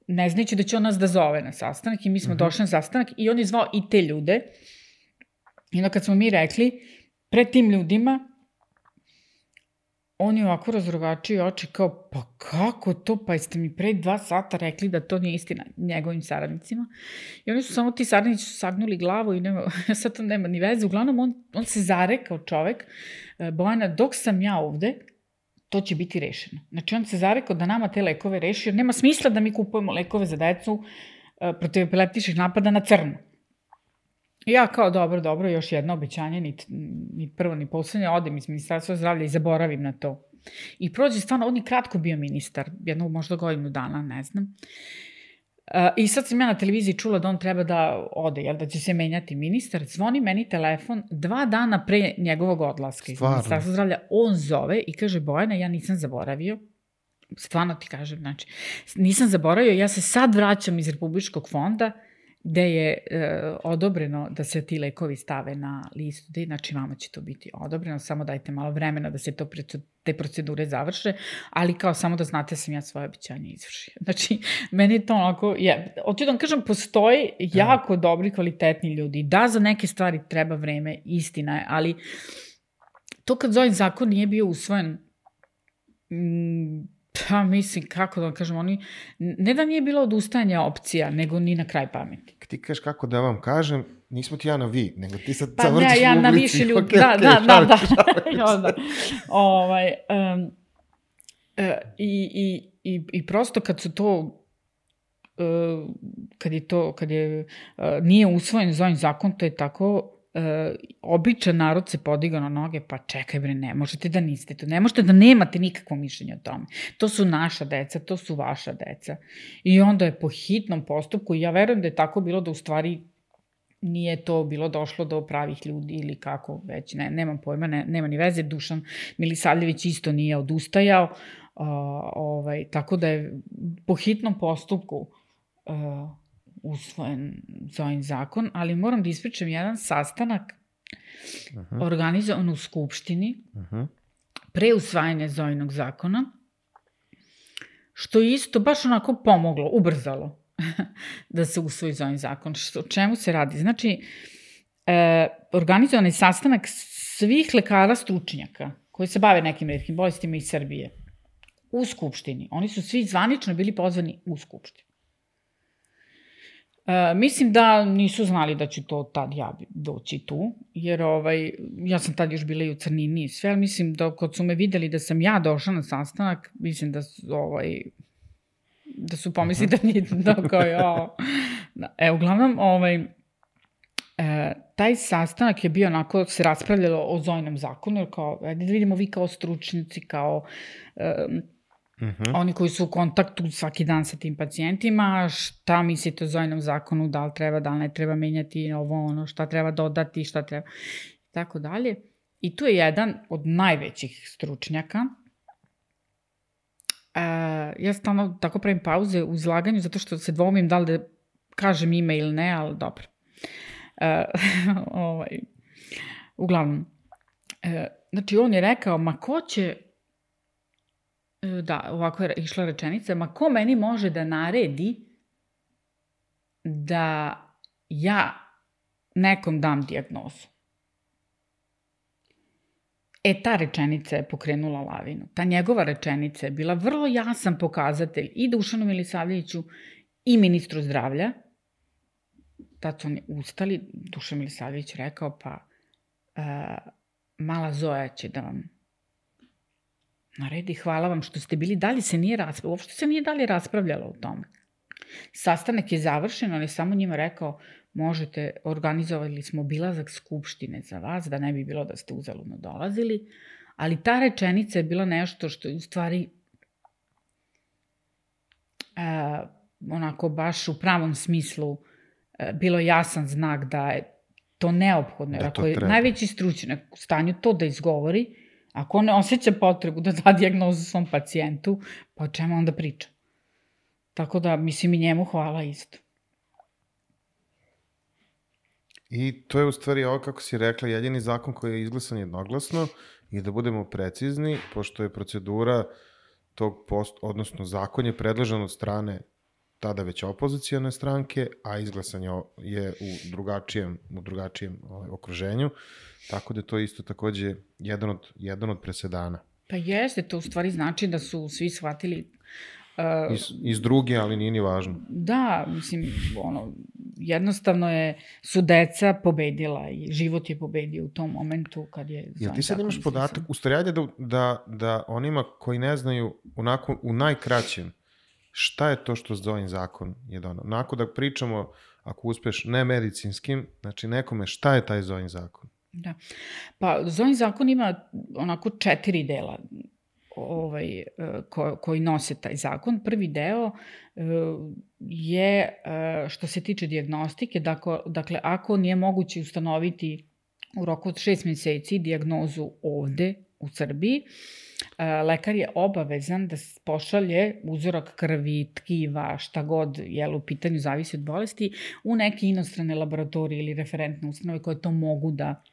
B: Ne znajući da će on nas da zove na sastanak i mi smo uh-huh. došli na sastanak i on je zvao i te ljude. I onda kad smo mi rekli, pred tim ljudima, on je ovako razrogačio oči kao, pa kako to, pa jeste mi pre dva sata rekli da to nije istina njegovim saradnicima. I oni su samo, ti saradnici su sagnuli glavu i nema, sad to nema ni veze. Uglavnom, on, on se zarekao čovek, Bojana, dok sam ja ovde, to će biti rešeno. Znači, on se zarekao da nama te lekove reši, jer nema smisla da mi kupujemo lekove za decu protiv epileptičnih napada na crno. Ja kao, dobro, dobro, još jedno obećanje, ni, ni prvo, ni poslednje, odem iz Ministarstva zdravlja i zaboravim na to. I prođe stvarno, on je kratko bio ministar, jednog možda godinu dana, ne znam. Uh, I sad sam ja na televiziji čula da on treba da ode, jel, da će se menjati ministar. Zvoni meni telefon dva dana pre njegovog odlaska iz Ministarstva zdravlja. On zove i kaže, Bojana, ja nisam zaboravio, stvarno ti kažem, znači, nisam zaboravio, ja se sad vraćam iz Republičkog fonda, gde je e, odobreno da se ti lekovi stave na listu, znači vama će to biti odobreno, samo dajte malo vremena da se to, te procedure završe, ali kao samo da znate sam ja svoje obećanje izvršio. Znači, meni je to onako, je, hoću da vam kažem, postoji jako dobri, kvalitetni ljudi. Da, za neke stvari treba vreme, istina je, ali to kad Zojin zakon nije bio usvojen, m, Pa mislim, kako da vam kažem, oni, ne da nije bilo odustajanja opcija, nego ni na kraj pameti.
A: Ti kažeš kako da vam kažem, nismo ti ja na vi, nego ti sad
B: pa
A: vrtiš
B: ja
A: u
B: na
A: ulici.
B: Više ljudi,
A: Okay,
B: da,
A: okay,
B: da, da, da,
A: šalim,
B: da, da. Ovaj, um, uh, i, i, i, I prosto kad su to, uh, kad je to, kad je, uh, nije usvojen Zojin zakon, to je tako, Uh, običan narod se podigao na noge, pa čekaj bre, ne možete da niste to, ne možete da nemate nikakvo mišljenje o tome. To su naša deca, to su vaša deca. I onda je po hitnom postupku, ja verujem da je tako bilo da u stvari nije to bilo došlo do pravih ljudi ili kako već, ne, nemam pojma, ne, nema ni veze, Dušan Milisavljević isto nije odustajao, uh, ovaj, tako da je po hitnom postupku uh, usvojen Zojin zakon, ali moram da ispričam jedan sastanak uh-huh. organizovan u Skupštini uh-huh. pre usvajanja Zojinog zakona, što je isto baš onako pomoglo, ubrzalo da se usvoji Zojin zakon. Što, o čemu se radi? Znači, e, organizovan je sastanak svih lekara stručnjaka koji se bave nekim retkim bolestima iz Srbije u Skupštini. Oni su svi zvanično bili pozvani u Skupštinu. E, mislim da nisu znali da ću to tad ja doći tu, jer ovaj, ja sam tad još bila i u crnini i sve, ali mislim da kad su me videli da sam ja došla na sastanak, mislim da su, ovaj, da su pomisli da nije da kao ja. E, uglavnom, ovaj, e, taj sastanak je bio onako, se raspravljalo o Zojinom zakonu, jer kao, ajde da vidimo vi kao stručnici, kao e, Uh-huh. oni koji su u kontaktu svaki dan sa tim pacijentima, šta mislite o Zojinom zakonu, da li treba, da li ne treba menjati ovo, ono, šta treba dodati, šta treba, i tako dalje. I tu je jedan od najvećih stručnjaka. Uh, ja stalno tako pravim pauze u izlaganju, zato što se dvomim da li da kažem ime ili ne, ali dobro. Uh, ovaj, uglavnom, uh, znači on je rekao, ma ko će, da, ovako je išla rečenica, ma ko meni može da naredi da ja nekom dam dijagnozu? E, ta rečenica je pokrenula lavinu. Ta njegova rečenica je bila vrlo jasan pokazatelj i Dušanu Milisavljeviću i ministru zdravlja. Tad su oni ustali, Dušan Milisavljević rekao, pa uh, mala Zoja će da vam naredi, hvala vam što ste bili, dalje se nije raspravljalo, uopšte se nije dalje raspravljalo o tome. Sastanak je završen, on je samo njima rekao, možete, organizovali smo obilazak skupštine za vas, da ne bi bilo da ste uzaludno dolazili, ali ta rečenica je bila nešto što je u stvari uh, onako baš u pravom smislu uh, bilo jasan znak da je to neophodno, jer ako je najveći stručnjak u stanju to da izgovori, ako on ne osjeća potrebu da da dijagnozu svom pacijentu, pa o čemu onda priča? Tako da, mislim, i njemu hvala isto.
A: I to je u stvari ovo, kako si rekla, jedini zakon koji je izglasan jednoglasno i da budemo precizni, pošto je procedura tog post, odnosno zakon je predložen od strane tada već opozicijone stranke, a izglasan je u drugačijem, u drugačijem okruženju, tako da to isto takođe jedan od, jedan od presedana.
B: Pa jeste, to u stvari znači da su svi shvatili
A: Uh, iz, iz druge, ali nije ni važno.
B: Da, mislim, ono, jednostavno je, su deca pobedila i život je pobedio u tom momentu kad je...
A: Jel ti sad imaš podatak, u stvari ajde da, da, da onima koji ne znaju onako, u najkraćem, šta je to što Zojin zakon je donao? Onako da pričamo, ako uspeš, ne medicinskim, znači nekome šta je taj Zojin zakon?
B: Da, pa Zojin zakon ima onako četiri dela ovaj, ko, koji nose taj zakon. Prvi deo je što se tiče dijagnostike, dakle, dakle ako nije moguće ustanoviti u roku od šest meseci dijagnozu ovde u Srbiji, lekar je obavezan da pošalje uzorak krvi, tkiva, šta god, jel, u pitanju zavisi od bolesti, u neke inostrane laboratorije ili referentne ustanove koje to mogu da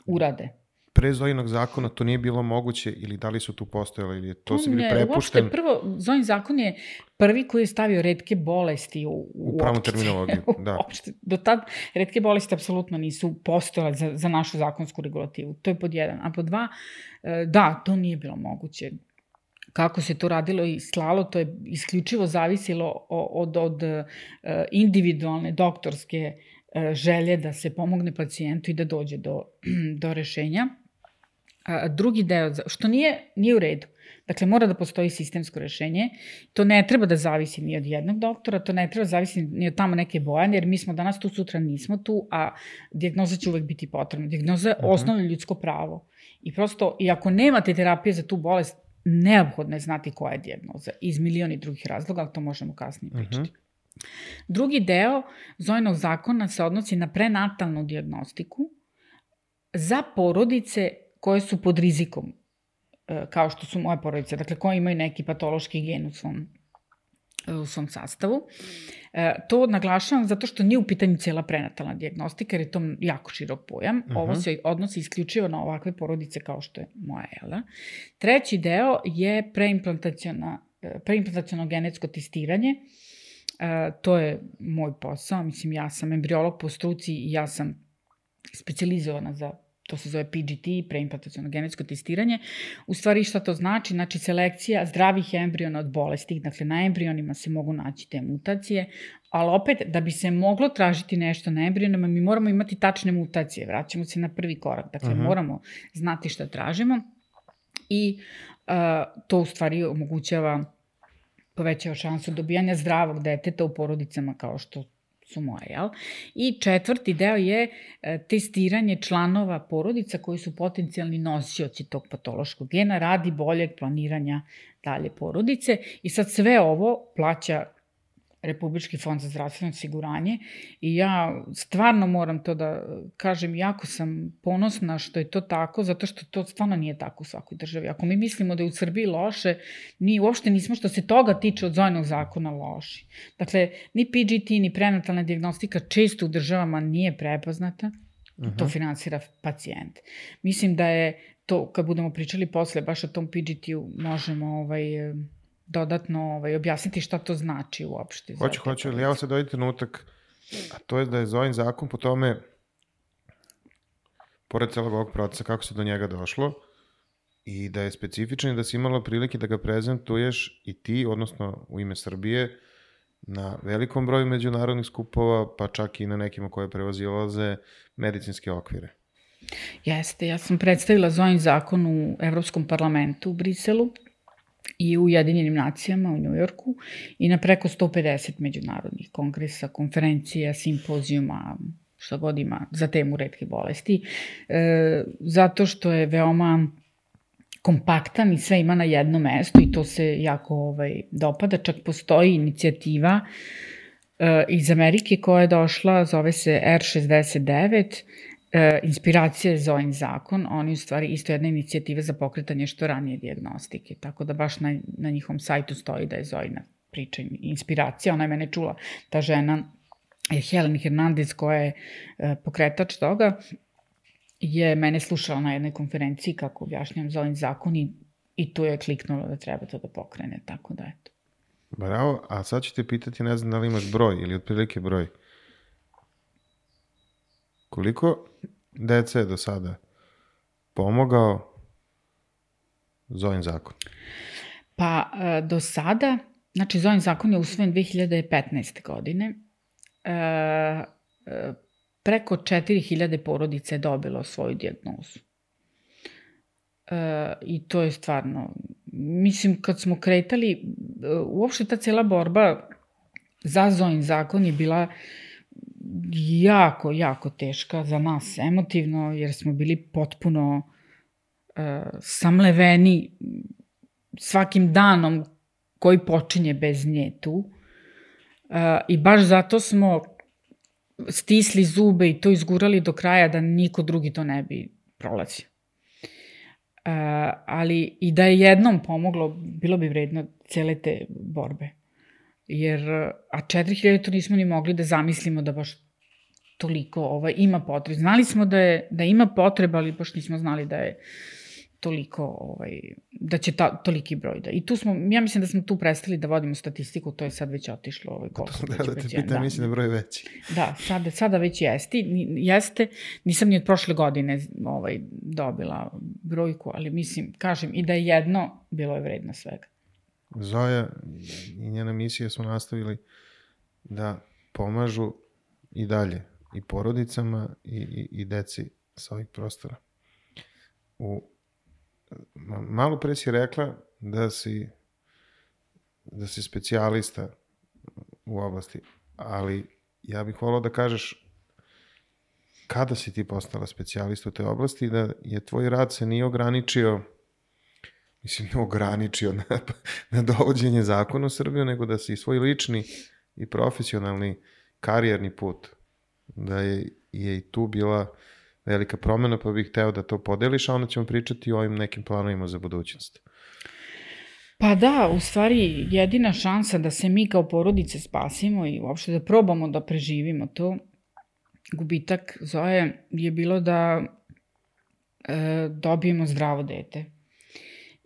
B: urade.
A: Pre Zojinog zakona to nije bilo moguće ili da li su tu postojali ili to se bili prepušten?
B: Uopšte prvo, Zojin zakon je prvi koji je stavio retke bolesti u, u,
A: u pravu terminologiju. Da.
B: Uopšte, do tad retke bolesti apsolutno nisu postojale za, za našu zakonsku regulativu. To je pod jedan. A pod dva, da, to nije bilo moguće. kako se to radilo i slalo, to je isključivo zavisilo od, od, od individualne doktorske želje da se pomogne pacijentu i da dođe do, do rešenja. Drugi deo, što nije, nije u redu. Dakle, mora da postoji sistemsko rešenje. To ne treba da zavisi ni od jednog doktora, to ne treba da zavisi ni od tamo neke bojane, jer mi smo danas tu, sutra nismo tu, a dijagnoza će uvek biti potrebna. Dijagnoza je osnovno ljudsko pravo. I prosto, i ako nemate terapije za tu bolest, neophodno je znati koja je dijagnoza. Iz milioni drugih razloga, ali to možemo kasnije pričati. Uh-huh. Drugi deo Zojinog zakona se odnosi na prenatalnu dijagnostiku za porodice koje su pod rizikom, kao što su moje porodice, dakle koje imaju neki patološki gen u svom, u svom sastavu. To naglašavam zato što nije u pitanju cijela prenatalna dijagnostika, jer je to jako širok pojam. Uh-huh. Ovo se odnosi isključivo na ovakve porodice kao što je moja Ela. Treći deo je preimplantaciono genetsko testiranje. To je moj posao. Mislim, ja sam embriolog po struci i ja sam specijalizovana za to se zove P G T, preimplantaciono genetsko testiranje. U stvari šta to znači? Znači selekcija zdravih embriona od bolesti, dakle na embrionima se mogu naći te mutacije, ali opet da bi se moglo tražiti nešto na embrionima, mi moramo imati tačne mutacije, vraćamo se na prvi korak, dakle uh-huh. moramo znati šta tražimo i uh, to u stvari omogućava, povećava šansu dobijanja zdravog deteta u porodicama kao što su moje, jel? I četvrti deo je e, testiranje članova porodica koji su potencijalni nosioci tog patološkog gena radi boljeg planiranja dalje porodice. I sad sve ovo plaća Republički fond za zdravstveno osiguranje i ja stvarno moram to da kažem, jako sam ponosna što je to tako, zato što to stvarno nije tako u svakoj državi. Ako mi mislimo da je u Srbiji loše, mi uopšte nismo što se toga tiče od Zojinog zakona loši. Dakle, ni P G T, ni prenatalna dijagnostika često u državama nije prepoznata, uh-huh. to finansira pacijent. Mislim da je to, kad budemo pričali posle baš o tom P G T-u, možemo ovaj... dodatno ovaj, objasniti šta to znači uopšte.
A: Hoću, hoću, ali evo sad dojde trenutak, a to je da je Zojin zakon po tome, pored celog ovog procesa, kako se do njega došlo, i da je specifičan i da si imala prilike da ga prezentuješ i ti, odnosno u ime Srbije, na velikom broju međunarodnih skupova, pa čak i na nekima koje prevazilaze medicinske okvire.
B: Jeste, ja sam predstavila Zojin zakon u Evropskom parlamentu u Briselu, i u Ujedinjenim nacijama u Njujorku i na preko sto pedeset međunarodnih kongresa, konferencija, simpozijuma, što god ima za temu retke bolesti, e, zato što je veoma kompaktan i sve ima na jednom mestu i to se jako ovaj, dopada. Čak postoji inicijativa e, iz Amerike koja je došla, zove se R šezdeset devet, E, inspiracija je Zojin zakon, oni u stvari isto jedna inicijativa za pokretanje što ranije dijagnostike, tako da baš na, na njihovom sajtu stoji da je Zojina priča inspiracija, ona je mene čula, ta žena je Helen Hernandez koja je e, pokretač toga, je mene slušala na jednoj konferenciji kako objašnjam Zojin zakon i, i tu je kliknulo da treba to da pokrene, tako da eto.
A: Bravo, a sad ću te pitati, ne znam da li imaš broj ili otprilike broj. Koliko dece je do sada pomogao Zojin zakon?
B: Pa, do sada, znači Zojin zakon je usvojen dve hiljade petnaeste. godine. E, preko četiri hiljade porodica je dobilo svoju dijagnozu. E, I to je stvarno, mislim, kad smo kretali, uopšte ta cela borba za Zojin zakon je bila jako, jako teška za nas emotivno, jer smo bili potpuno uh, samleveni svakim danom koji počinje bez nje tu. Uh, I baš zato smo stisli zube i to izgurali do kraja da niko drugi to ne bi prolazio. Uh, ali i da je jednom pomoglo, bilo bi vredno cele te borbe. Jer, a četiri hiljade to nismo ni mogli da zamislimo da baš toliko ovaj, ima potreba. Znali smo da, je, da ima potreba, ali baš nismo znali da je toliko, ovaj, da će ta, toliki broj da. I tu smo, ja mislim da smo tu prestali da vodimo statistiku, to je sad već otišlo. Ovaj, koliko
A: da, da te pitam, da, mislim da je broj veći.
B: Da, sada, sada već jeste. jeste. Nisam ni od prošle godine ovaj, dobila brojku, ali mislim, kažem, i da je jedno, bilo je vredno svega.
A: Zoja i njena misija su nastavili da pomažu i dalje i porodicama i, i, i deci sa ovih prostora. U, malo pre si rekla da si da si specijalista u oblasti, ali ja bih volao da kažeš kada si ti postala specijalista u toj oblasti i da je tvoj rad se nije ograničio, mislim, ne ograničio na, na dovođenje zakona u Srbiju, nego da si svoj lični i profesionalni karijerni put, da je, je i tu bila velika promena, pa bih hteo da to podeliš, a onda ćemo pričati o ovim nekim planovima za budućnost.
B: Pa da, u stvari jedina šansa da se mi kao porodice spasimo i uopšte da probamo da preživimo to, gubitak Zoje je bilo da e, dobijemo zdravo dete.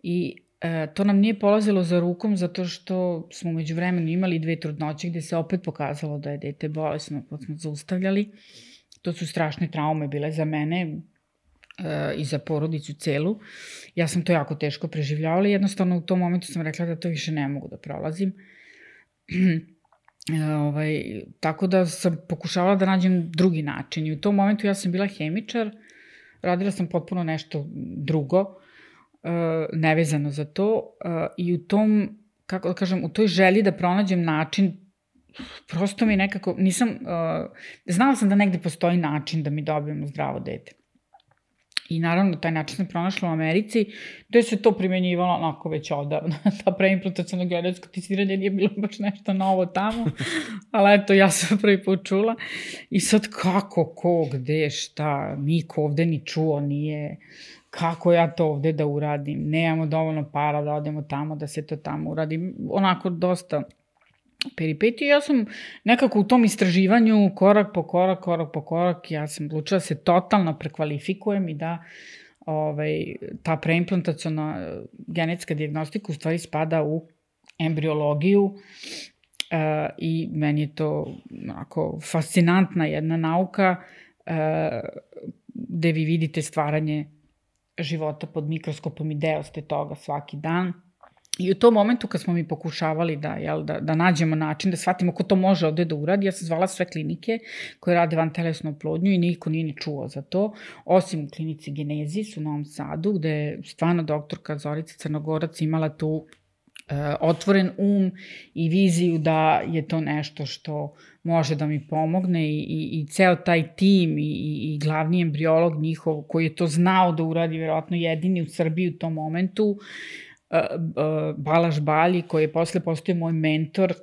B: I e, to nam nije polazilo za rukom zato što smo među vremenu imali dve trudnoće gde se opet pokazalo da je dete bolesno, pa smo zaustavljali. To su strašne traume bile za mene e, i za porodicu celu. Ja sam to jako teško preživljavala i jednostavno u tom momentu sam rekla da to više ne mogu da prolazim. E, ovaj, tako da sam pokušavala da nađem drugi način i u tom momentu ja sam bila hemičar, radila sam potpuno nešto drugo, e, nevezano za to e, i u tom, kako da kažem, u toj želji da pronađem način, prosto mi nekako, nisam, uh, znala sam da negde postoji način da mi dobijemo zdravo dete. I naravno, taj način sam pronašla u Americi, gde se to primenjivalo onako već odavno. Ta preimplantaciono genetsko testiranje nije bilo baš nešto novo tamo, ali eto, ja sam prvi put čula. I sad kako, ko, gde, šta, niko ovde ni čuo nije, kako ja to ovde da uradim, nemamo dovoljno para da odemo tamo, da se to tamo uradi. Onako dosta peripetiju. Ja sam nekako u tom istraživanju korak po korak, korak po korak, ja sam odlučila da se totalno prekvalifikujem i da ovaj, ta preimplantaciona genetska dijagnostika u stvari spada u embriologiju uh, i meni je to onako fascinantna jedna nauka uh, gde vi vidite stvaranje života pod mikroskopom i deo ste toga svaki dan. I u tom momentu kad smo mi pokušavali da, jel, da, da nađemo način, da shvatimo ko to može ovde da uradi, ja sam zvala sve klinike koje rade vantelesnu oplodnju i niko nije ni čuo za to, osim u klinici Genezis u Novom Sadu, gde je stvarno doktorka Zorica Crnogorac imala tu e, otvoren um i viziju da je to nešto što može da mi pomogne i, i, i ceo taj tim i, i, i glavni embriolog njihov koji je to znao da uradi, verovatno jedini u Srbiji u tom momentu, Uh, uh, Balaš Balji, koji je posle postao moj mentor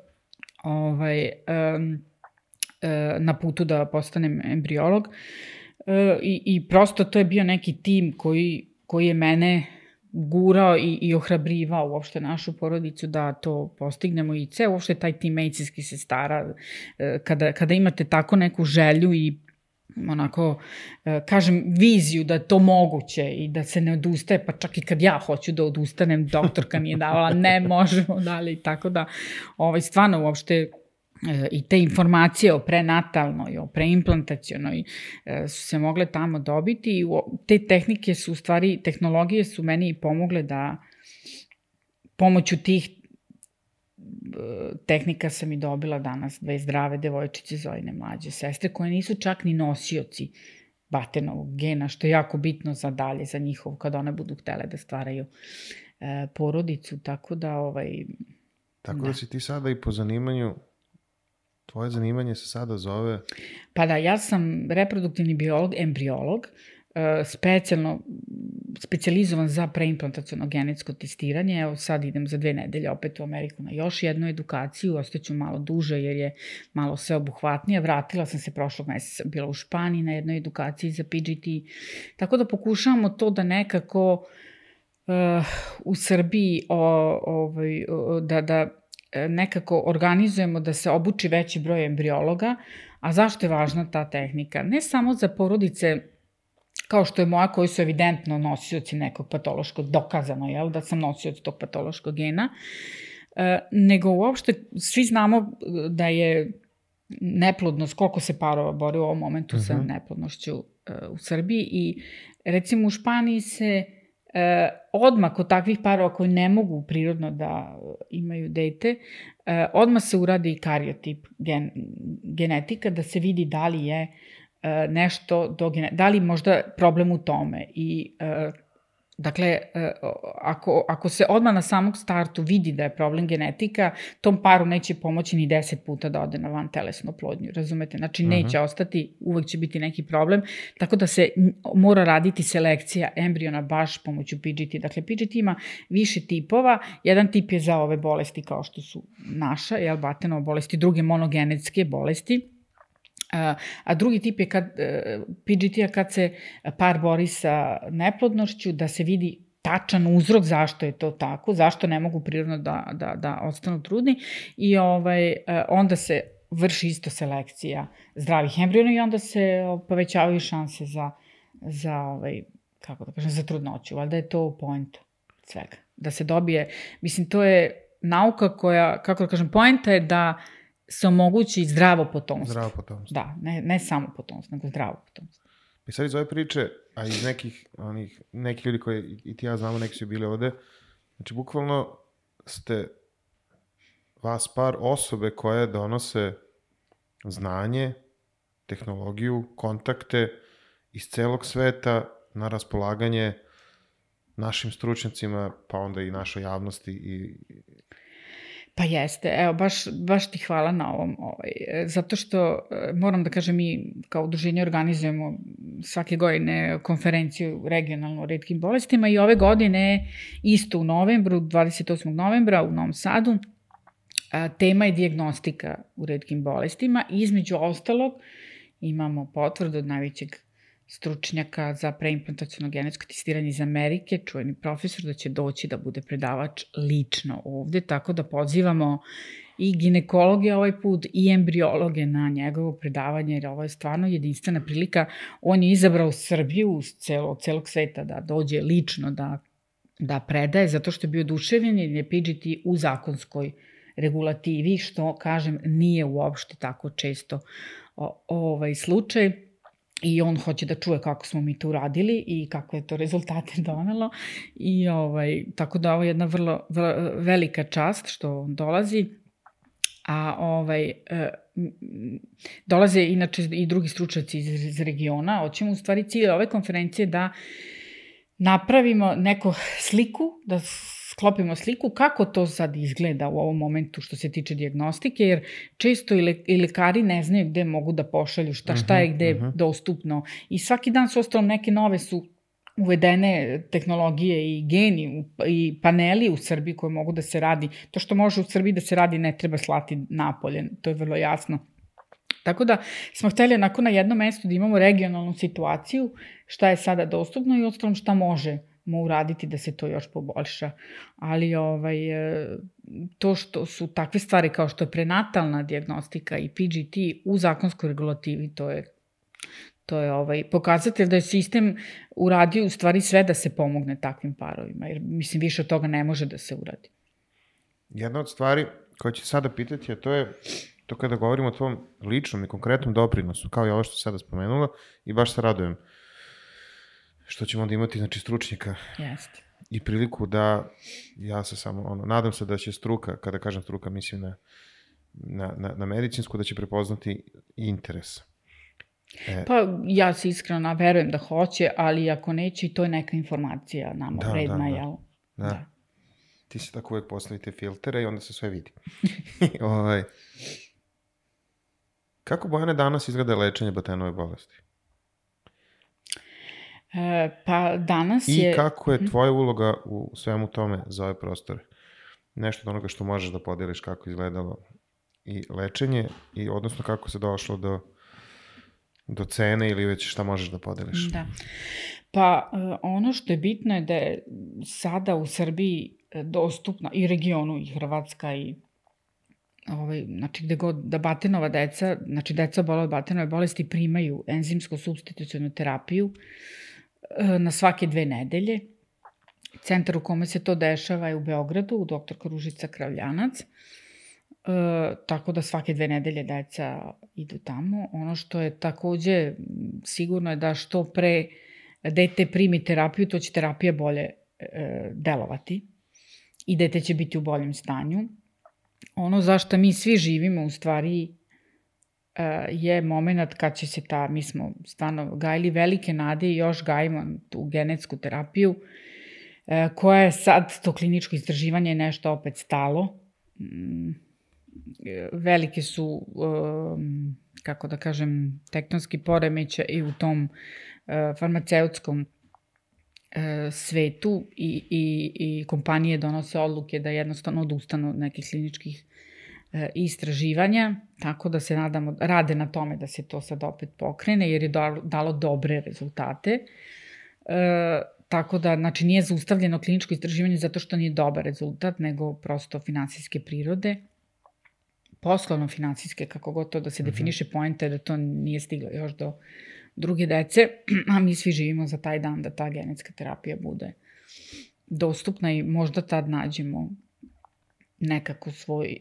B: ovaj, um, uh, na putu da postanem embriolog. Uh, i, I prosto to je bio neki tim koji, koji je mene gurao i, i ohrabrivao uopšte našu porodicu da to postignemo i ceo uopšte taj tim medicinskih sestara. Uh, kada, kada imate tako neku želju i onako, kažem, viziju da je to moguće i da se ne odustaje, pa čak i kad ja hoću da odustanem, doktorka mi je davala, ne možemo dalje i tako da, ovaj, stvarno uopšte i te informacije o prenatalnoj, o preimplantacionoj su se mogle tamo dobiti i te tehnike su, u stvari, tehnologije su meni i pomogle da pomoću tih tehnika sam i dobila danas dve zdrave devojčice, Zojine mlađe sestre, koje nisu čak ni nosioci batenovog gena, što je jako bitno za dalje, za njihovo, kada one budu htele da stvaraju e, porodicu, tako da... Ovaj,
A: tako da. da si ti sada i po zanimanju, tvoje zanimanje se sada zove...
B: Pa da, ja sam reproduktivni biolog, embriolog, specijalno specijalizovan za preimplantaciono genetsko testiranje. Evo sad idem za dve nedelje opet u Ameriku na još jednu edukaciju, ostaću malo duže jer je malo sveobuhvatnije. Vratila sam se prošlog meseca, bila u Španiji na jednoj edukaciji za P G T. Tako da pokušavamo to da nekako uh, u Srbiji o, ovaj, o, da, da nekako organizujemo da se obuči veći broj embriologa. A zašto je važna ta tehnika? Ne samo za porodice kao što je moja, koji su evidentno nosioci nekog patološkog, dokazano, jel, da sam nosioc tog patološkog gena, e, nego uopšte svi znamo da je neplodnost, koliko se parova bori u ovom momentu uh-huh. sa neplodnošću e, u Srbiji i recimo u Španiji se e, odmah kod takvih parova koji ne mogu prirodno da imaju dete, e, odmah se uradi kariotip gen, genetika da se vidi da li je e, nešto, do gene, da li možda problem u tome i e, dakle, ako, ako se odmah na samog startu vidi da je problem genetika, tom paru neće pomoći ni deset puta da ode na vantelesnu oplodnju, razumete? Znači, neće uh-huh. ostati, uvek će biti neki problem, tako da se mora raditi selekcija embriona baš pomoću P G T. Dakle, P G T ima više tipova, jedan tip je za ove bolesti kao što su naša, jel, Batenova bolesti, druge monogenetske bolesti, a drugi tip je kad, P G T-a kad se par bori sa neplodnošću, da se vidi tačan uzrok zašto je to tako, zašto ne mogu prirodno da, da, da ostanu trudni i ovaj, onda se vrši isto selekcija zdravih embriona i onda se povećavaju šanse za, za, ovaj, kako da kažem, za trudnoću. Valjda je to point svega. Da se dobije, mislim, to je nauka koja, kako da kažem, poenta je da se omogući zdravo potomstvo.
A: Zdravo potomstvo.
B: Da, ne, ne samo potomstvo, nego zdravo potomstvo.
A: I sad iz ove priče, a iz nekih, onih, nekih ljudi koji i ti ja znamo, neki su bili ovde, znači bukvalno ste vas par osobe koje donose znanje, tehnologiju, kontakte iz celog sveta na raspolaganje našim stručnjacima, pa onda i našoj javnosti i...
B: Pa jeste, evo, baš, baš ti hvala na ovom, ovaj, zato što moram da kažem, mi kao udruženje organizujemo svake godine konferenciju regionalno o retkim bolestima i ove godine isto u novembru, dvadeset osmog novembra u Novom Sadu, a, tema je dijagnostika u retkim bolestima i između ostalog imamo potvrdu od najvećeg stručnjaka za preimplantaciono genetsko testiranje iz Amerike, čuveni profesor, da će doći da bude predavač lično ovde, tako da pozivamo i ginekologe ovaj put i embriologe na njegovo predavanje, jer ovo je stvarno jedinstvena prilika. On je izabrao Srbiju celo, celog sveta da dođe lično da, da predaje, zato što je bio oduševljen jer je P G T u zakonskoj regulativi, što, kažem, nije uopšte tako često o, ovaj slučaj. I on hoće da čuje kako smo mi to uradili i kako je to rezultate donelo. I ovaj, tako da ovo je jedna vrlo, vrlo velika čast što on dolazi. A ovaj, e, dolaze inače i drugi stručnjaci iz, iz regiona. Hoćemo u stvari cilj ove konferencije da napravimo neku sliku, da sklopimo sliku kako to sad izgleda u ovom momentu što se tiče dijagnostike, jer često i, le, i lekari ne znaju gde mogu da pošalju, šta, šta je gde uh-huh. dostupno. I svaki dan su ostalo neke nove su uvedene tehnologije i geni i paneli u Srbiji koje mogu da se radi. To što može u Srbiji da se radi ne treba slati napolje, to je vrlo jasno. Tako da smo hteli onako na jednom mestu da imamo regionalnu situaciju, šta je sada dostupno i ostalom šta može mu uraditi da se to još poboljša. Ali ovaj, to što su takve stvari kao što je prenatalna dijagnostika i P G T u zakonskoj regulativi, to je, to je ovaj, pokazatelj da je sistem uradio u stvari sve da se pomogne takvim parovima, jer mislim više od toga ne može da se uradi.
A: Jedna od stvari koje ću sada pitati, a to je to kada govorimo o tvom ličnom i konkretnom doprinosu, kao i ovo što si sada spomenula, i baš se radujem što ćemo onda imati, znači, stručnjaka.
B: Jeste.
A: I priliku da, ja se samo, ono, nadam se da će struka, kada kažem struka, mislim na, na, na, na medicinsku, da će prepoznati interes. E,
B: pa ja se iskreno verujem da hoće, ali ako neće, to je neka informacija nama
A: da,
B: vredna,
A: da, da.
B: jel?
A: Da. da. Ti se tako uvek postavite filtere i onda se sve vidi. ovaj. Kako, Bojane, danas izgleda lečenje Batenove bolesti?
B: E, pa danas
A: I
B: je...
A: I kako je tvoja uloga u svemu tome za ove prostore? Nešto od onoga što možeš da podeliš kako izgledalo i lečenje, i odnosno kako se došlo do, do cene ili već šta možeš da podeliš?
B: Da. Pa ono što je bitno je da je sada u Srbiji dostupna i regionu i Hrvatska i ovaj, znači gde god da Batenova deca, znači deca obolela od Batenove bolesti primaju enzimsko supstitucionu terapiju na svake dve nedelje. Centar u kome se to dešava je u Beogradu, u doktorka Ružica Kravljanac. E, tako da svake dve nedelje deca idu tamo. Ono što je takođe sigurno je da što pre dete primi terapiju, to će terapija bolje e, delovati i dete će biti u boljem stanju. Ono zašto mi svi živimo u stvari e, je moment kad će se ta, mi smo stvarno gajili velike nade i još gajimo tu genetsku terapiju, e, koja je sad, to kliničko istraživanje je nešto opet stalo. Mm, velike su, um, kako da kažem, tektonski poremećaj i u tom uh, farmaceutskom uh, svetu i, i, i kompanije donose odluke da jednostavno odustanu od nekih kliničkih uh, istraživanja, tako da se nadamo, rade na tome da se to sad opet pokrene, jer je dalo, dalo dobre rezultate. Uh, tako da, znači, nije zaustavljeno kliničko istraživanje zato što nije dobar rezultat, nego prosto finansijske prirode, poslovno-finansijske, kako god to da se definiše, poenta je da to nije stiglo još do druge dece, a mi svi živimo za taj dan da ta genetska terapija bude dostupna i možda tad nađemo nekako svoj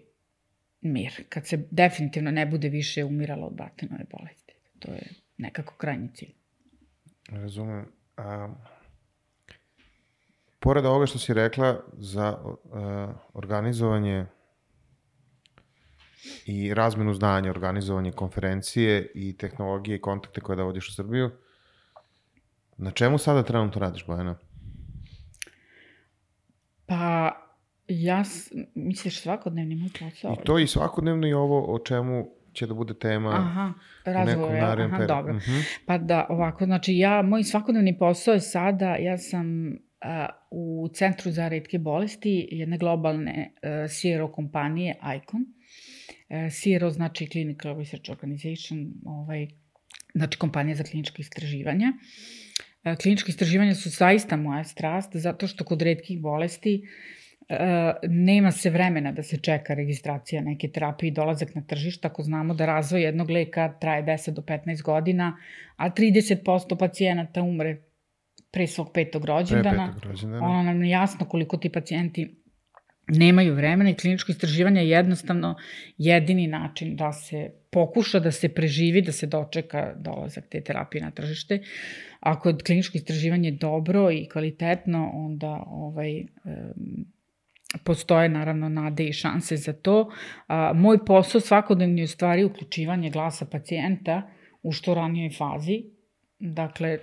B: mir, kad se definitivno ne bude više umiralo od Bartonove bolesti. To je nekako krajnji cilj.
A: Razumem. A, pored ovoga što si rekla za a, organizovanje i razmenu znanja, organizovanje konferencije i tehnologije i kontakte koje da vodiš u Srbiju, na čemu sada trenutno radiš, Bojana?
B: Pa, ja, misliš svakodnevni moj posao?
A: I to i svakodnevno i ovo o čemu će da bude tema
B: aha, razvoj, aha,
A: period.
B: dobro.
A: Uh-huh.
B: Pa da, ovako, znači ja, moj svakodnevni posao je sada, ja sam a, u Centru za retke bolesti jedne globalne a, C R O kompanije ICON. C R O znači Clinical Research Organization, ovaj, znači kompanija za kliničko istraživanje. Kliničko istraživanje su zaista moja strast, zato što kod retkih bolesti uh, nema se vremena da se čeka registracija neke terapije i dolazak na tržište. Ako znamo da razvoj jednog leka traje deset do petnaest godina, a trideset posto pacijenata umre pre svog petog rođendana,
A: pre petog rođendana.
B: Ono nam je jasno koliko ti pacijenti nemaju vremena i kliničko istraživanje je jednostavno jedini način da se pokuša, da se preživi, da se dočeka dolazak te terapije na tržište. Ako je kliničko istraživanje dobro i kvalitetno, onda ovaj, um, postoje naravno nade i šanse za to. A, moj posao svakodnevni je u stvari uključivanje glasa pacijenta u što ranijoj fazi. Dakle,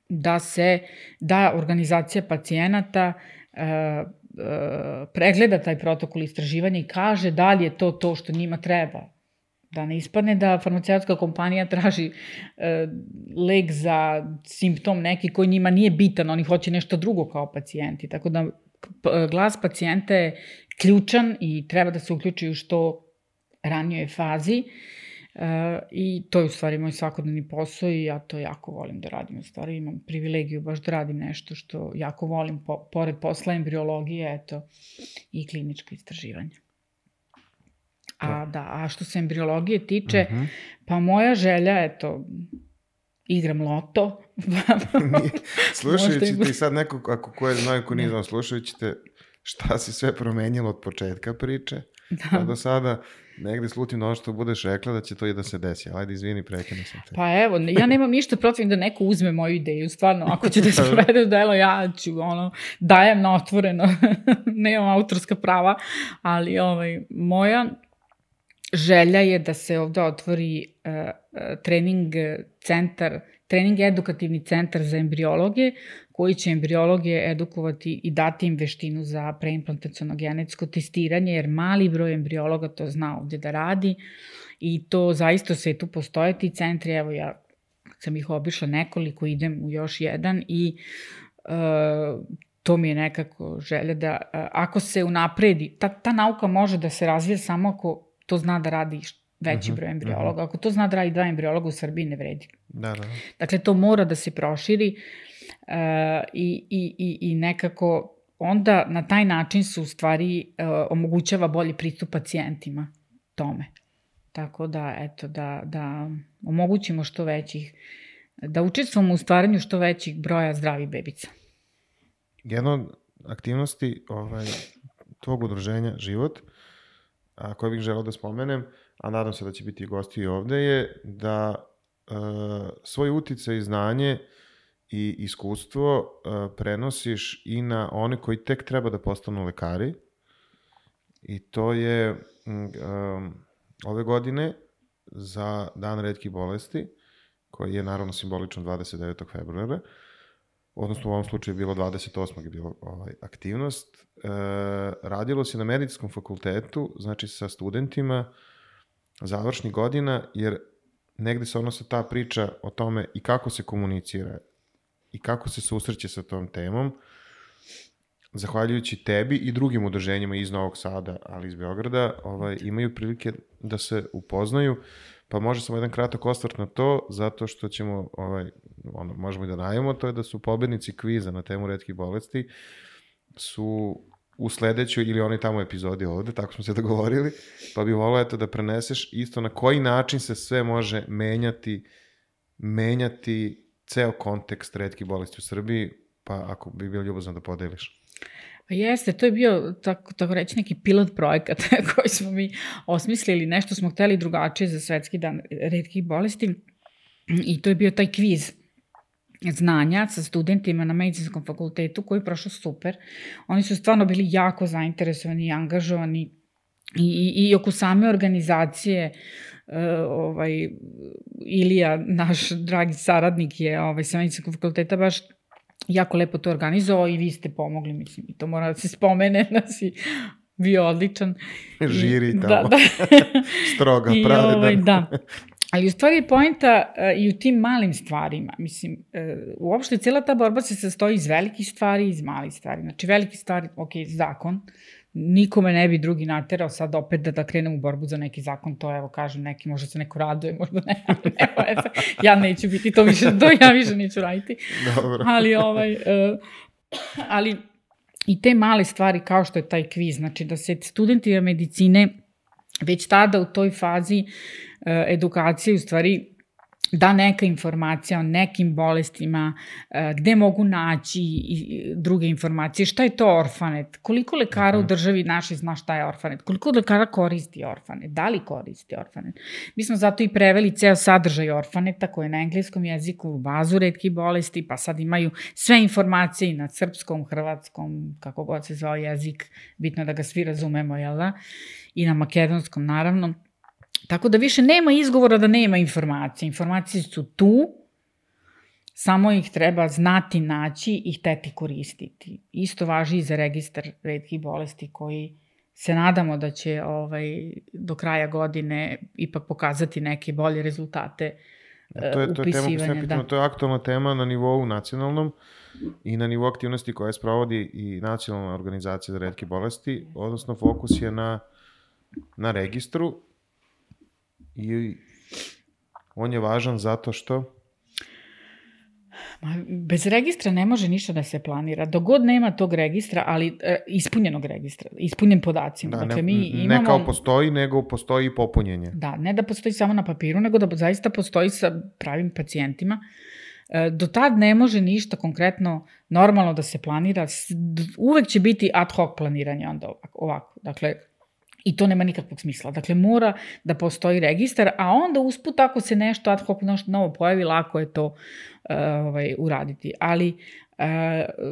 B: da se, da organizacija pacijenata uh, pregleda taj protokol istraživanja i kaže da li je to to što njima treba. Da ne ispadne da farmaceutska kompanija traži e, lek za simptom neki koji njima nije bitan, oni hoće nešto drugo kao pacijenti. Tako da glas pacijenta je ključan i treba da se uključi u što ranijoj fazi. E, I to je u stvari moj svakodnevni posao i ja to jako volim da radim. U stvari imam privilegiju baš da radim nešto što jako volim, po, pored posla embriologije, eto, i kliničko istraživanje. A, da, a što se embriologije tiče, uh-huh. pa moja želja, eto, igram loto.
A: Slušajući te i sad neko, ako ko je znao, ko nije znao, slušajući te šta si sve promenilo od početka priče, da. Pa do sada negde slutim na ono što budeš rekla da će to i da se desi. Ajde, izvini, prekinu sam te.
B: Pa evo, ja nemam ništa protiv da neko uzme moju ideju, stvarno, ako će da se provede u delo, ja ću, ono, dajem na otvoreno, nemam autorska prava, ali ovaj, moja želja je da se ovde otvori uh, trening centar, trening edukativni centar za embriologe, koji će embriologe edukovati i dati im veštinu za preimplantaciono genetsko testiranje, jer mali broj embriologa to zna ovde da radi i to zaista u svetu postoje ti centri. Evo ja sam ih obišla nekoliko, idem u još jedan i uh, to mi je nekako želja da uh, ako se unapredi, ta, ta nauka može da se razvije samo ako to zna da radi veći broj embriologa. Ako to zna da radi dva embriologa u Srbiji, ne vredi.
A: Da, da.
B: Dakle, to mora da se proširi uh, i, i, i nekako onda na taj način se u stvari uh, omogućava bolji pristup pacijentima tome. Tako da, eto, da, da omogućimo što većih, da učestvujemo u stvaranju što većih broja zdravih bebica.
A: Jedna od aktivnosti ovaj, tvog udruženja Život, a koje bih želeo da spomenem, a nadam se da će biti gosti i ovde, je da e, svoj uticaj i znanje i iskustvo uh, prenosiš i na one koji tek treba da postanu lekari. I to je um, ove godine za Dan retkih bolesti, koji je naravno simbolično dvadeset devetog februara, odnosno u ovom slučaju je bilo dvadeset osmog je bilo ovaj, aktivnost. E, radilo se na medicinskom fakultetu, znači sa studentima završnih godina, jer negde se odnosa ta priča o tome i kako se komunicira i kako se susreće sa tom temom, zahvaljujući tebi i drugim udruženjima iz Novog Sada, ali iz Beograda, ovaj, imaju prilike da se upoznaju, pa može samo jedan kratak osvrt na to, zato što ćemo, ovaj, ono, možemo i da najavimo, to je da su pobednici kviza na temu retkih bolesti, su u sledećoj ili onoj tamo epizodi ovde, tako smo se dogovorili, pa bi volao eto da preneseš isto na koji način se sve može menjati, menjati ceo kontekst retkih bolesti u Srbiji, pa ako bi bilo ljubazno da podeliš.
B: Jeste, to je bio, tako, tako reći, neki pilot projekat koji smo mi osmislili, nešto smo hteli drugačije za Svetski dan retkih bolesti i to je bio taj kviz znanja sa studentima na medicinskom fakultetu koji je prošao super. Oni su stvarno bili jako zainteresovani i angažovani i, i, i oko same organizacije. Uh, ovaj, Ilija, naš dragi saradnik je ovaj, sa medicinskog fakulteta baš jako lepo to organizovao i vi ste pomogli, mislim, i to mora da se spomene, da si bio odličan.
A: Žiri tamo,
B: da, da.
A: stroga, pravedan.
B: Ovaj, da. Ali u stvari je poenta uh, i u tim malim stvarima. Mislim, uh, uopšte cijela ta borba se sastoji iz velikih stvari i iz malih stvari. Znači, velike stvari, ok, zakon, nikome ne bi drugi naterao sad opet da, da krenem u borbu za neki zakon, to evo kažem neki, možda se neko raduje, možda ne, ne ja neću biti to više, to ja više neću raditi.
A: Dobro.
B: Ali, ovaj, uh, ali i te male stvari kao što je taj kviz, znači da se studenti medicine već tada u toj fazi uh, edukacije u stvari da neka informacija o nekim bolestima, gde mogu naći druge informacije, šta je to orfanet, koliko lekara u državi našoj zna šta je orfanet, koliko lekara koristi orfanet, da li koristi orfanet. Mi smo zato i preveli ceo sadržaj orfaneta koji je na engleskom jeziku u bazu retkih bolesti, pa sad imaju sve informacije i na srpskom, hrvatskom, kako god se zvao jezik, bitno da ga svi razumemo, jel da? I na makedonskom, naravno. Tako da više nema izgovora da nema informacije. Informacije su tu, samo ih treba znati, naći i hteti koristiti. Isto važi i za registar retkih bolesti koji se nadamo da će ovaj, do kraja godine ipak pokazati neke bolje rezultate
A: to je, to
B: upisivanja.
A: Je tema, pitamo,
B: da.
A: To je aktualna tema na nivou nacionalnom i na nivou aktivnosti koje sprovodi i nacionalna organizacija za retke bolesti, odnosno fokus je na, na registru. I on je važan zato što?
B: Bez registra ne može ništa da se planira. Dogod nema tog registra, ali e, ispunjenog registra, ispunjen podacima.
A: Da,
B: dakle,
A: ne,
B: mi imamo,
A: ne kao postoji, nego postoji i popunjenje.
B: Da, ne da postoji samo na papiru, nego da zaista postoji sa pravim pacijentima. E, do tad ne može ništa konkretno normalno da se planira. Uvek će biti ad hoc planiranje onda ovako. ovako. Dakle, i to nema nikakvog smisla. Dakle, mora da postoji registar, a onda usput ako se nešto ad hoc novo pojavi, lako je to uh, ovaj, uraditi. Ali, uh,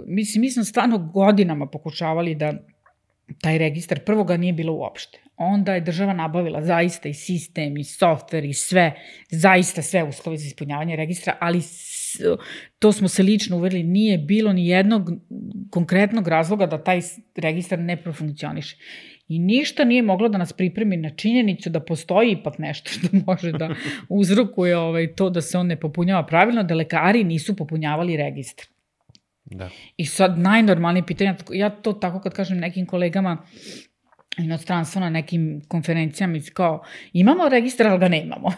B: mislim, mi smo stvarno godinama pokušavali da taj registar, prvo ga nije bilo uopšte. Onda je država nabavila zaista i sistem, i softver, i sve, zaista sve uslove za ispunjavanje registra, ali to smo se lično uverili, nije bilo ni jednog konkretnog razloga da taj registar ne profunkcioniše. I ništa nije moglo da nas pripremi na činjenicu da postoji ipak nešto što može da uzrokuje ovaj, to da se on ne popunjava pravilno, da lekari nisu popunjavali registar.
A: Da.
B: I sad najnormalnije pitanja, ja to tako kad kažem nekim kolegama inostranstvo na nekim konferencijama, kao imamo registar, ali ga nemamo.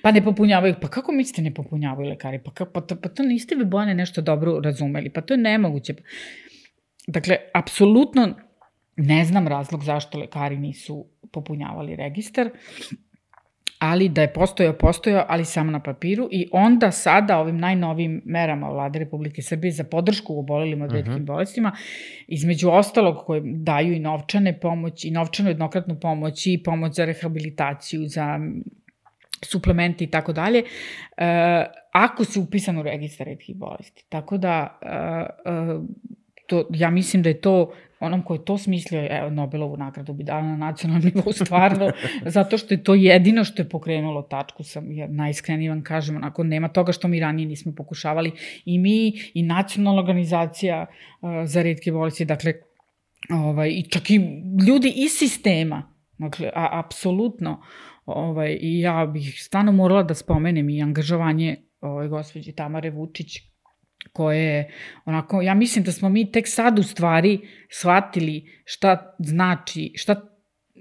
B: Pa ne popunjavaju. Pa kako mislite ne popunjavaju lekari? Pa, pa, to, pa to niste vi, Bojane, nešto dobro razumeli. Pa to je nemoguće. Dakle, apsolutno ne znam razlog zašto lekari nisu popunjavali registar, ali da je postojao, postojao, ali samo na papiru. I onda sada ovim najnovim merama Vlade Republike Srbije za podršku u obolelima od retkim uh-huh. bolestima, između ostalog koje daju i novčane pomoći, i novčanu jednokratnu pomoć, i pomoć za rehabilitaciju, za suplementi i tako dalje, ako si upisan u registar retkih bolesti. Tako da, uh, uh, to, ja mislim da je to, onom ko je to smislio, evo, Nobelovu nagradu bi dala na nacionalnom nivou, stvarno, zato što je to jedino što je pokrenulo tačku, sam, jer najiskrenije vam kažem, onako, nema toga što mi ranije nismo pokušavali, i mi, i nacionalna organizacija uh, za retke bolesti, dakle, ovaj, i čak i ljudi iz sistema, dakle, a, apsolutno, ovaj, i ja bih stvarno morala da spomenem i angažovanje ovaj, gospođe Tamare Vučić, koje je, onako, ja mislim da smo mi tek sad u stvari shvatili šta znači, šta,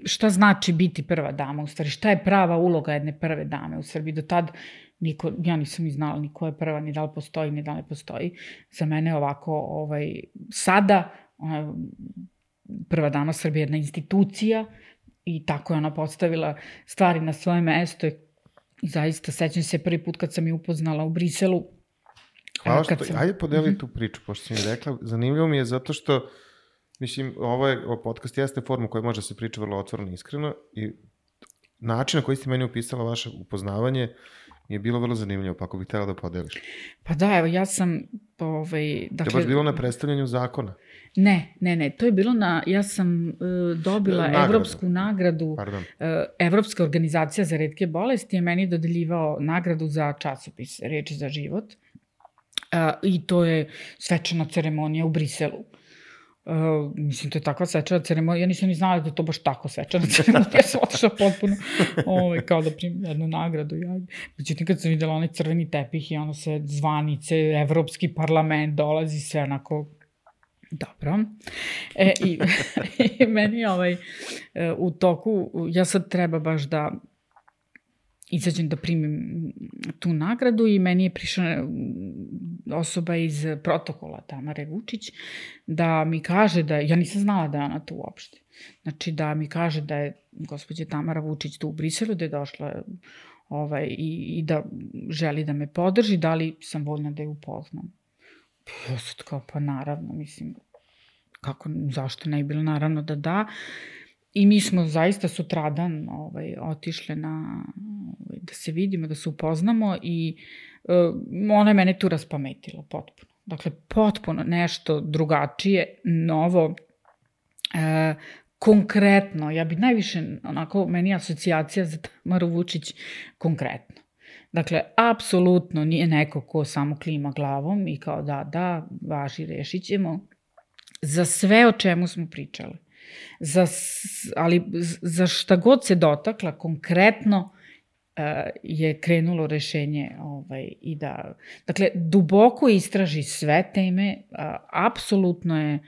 B: šta znači biti prva dama, u stvari, šta je prava uloga jedne prve dame u Srbiji. Do tad niko, ja nisam ni znala ni ko je prva, ni da li postoji, ni da li ne postoji. Za mene ovako, ovaj, sada, ona, prva dama Srbije je jedna institucija i tako je ona postavila stvari na svoje mesto. I zaista, sećam se prvi put kad sam je upoznala u Briselu.
A: Hvala što, sam... ajde podeli mm-hmm. tu priču, pošto si mi rekla. Zanimljivo mi je zato što, mislim, ovo, je, ovo podcast jeste forma koja može se priča vrlo otvoreno i iskreno i način na koji ste meni upisala vaše upoznavanje je bilo vrlo zanimljivo, pa ako bih htjela da podeliš.
B: Pa da, evo, ja sam... Ovaj, dakle,
A: to je baš bilo na predstavljanju zakona?
B: Ne, ne, ne, to je bilo na... Ja sam uh, dobila nagradu. Evropsku nagradu. Pardon. Uh, Evropska organizacija za retke bolesti je meni dodeljivao nagradu za časopis Reči za život. Uh, I to je svečana ceremonija u Briselu. Uh, mislim, to je takva svečana ceremonija. Ja nisam ni znala da je to baš tako svečana ceremonija. Ja sam otišla potpuno ovaj, kao da primim jednu nagradu. Ja. Međutim, kad sam videla onaj crveni tepih i ono se zvanice, Evropski parlament dolazi, sve onako dobro. E, i, i meni ovaj, u toku, ja sad treba baš da izađem da primim tu nagradu i meni je prišla osoba iz protokola Tamare Vučić da mi kaže da, ja nisam znala da je ona tu uopšte, znači da mi kaže da je gospođa Tamara Vučić tu u Briselu, da je došla ovaj, i, i da želi da me podrži, da li sam voljna da je upoznam. Ja sam kao, pa naravno, mislim, kako, zašto ne je bilo, naravno da da. I mi smo zaista sutradan ovaj, otišle na, ovaj, da se vidimo, da se upoznamo i uh, ona je mene tu raspametila potpuno. Dakle, potpuno nešto drugačije, novo, uh, konkretno. Ja bi najviše, onako, meni je asocijacija za Tamaru Vučić konkretno. Dakle, apsolutno nije neko ko samo klima glavom i kao da, da, važi, rešit ćemo. Za sve o čemu smo pričali. Za, ali za šta god se dotakla, konkretno uh, je krenulo rešenje ovaj, i da, dakle, duboko istraži sve teme, uh, apsolutno je uh,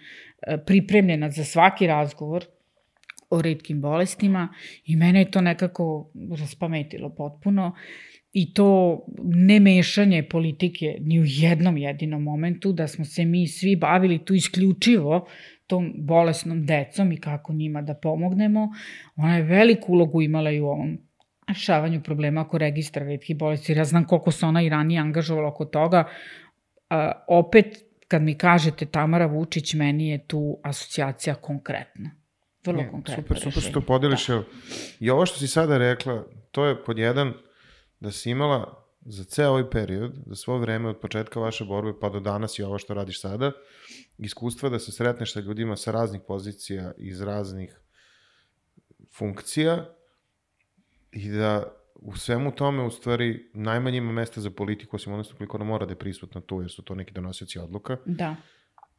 B: pripremljena za svaki razgovor o retkim bolestima i mene je to nekako raspametilo potpuno i to ne mešanje politike ni u jednom jedinom momentu, da smo se mi svi bavili tu isključivo tom bolesnom decom i kako njima da pomognemo. Ona je veliku ulogu imala i u ovom rešavanju problema oko registra retkih bolesti. Ja znam koliko se ona i ranije angažovala oko toga. A, opet, kad mi kažete Tamara Vučić, meni je tu asocijacija konkretna. Vrlo ne, konkretna
A: super, rešenja. Super što podeliš. Da. I ovo što si sada rekla, to je pod jedan da si imala za ceo ovaj period, za svoje vreme od početka vaše borbe pa do danas i ovo što radiš sada, iskustva da se sretneš sa ljudima sa raznih pozicija, iz raznih funkcija i da u svemu tome u stvari najmanje ima mesta za politiku, osim odnosno koliko ona mora da je prisutna tu, jer su to neki donosioci odluka.
B: Da.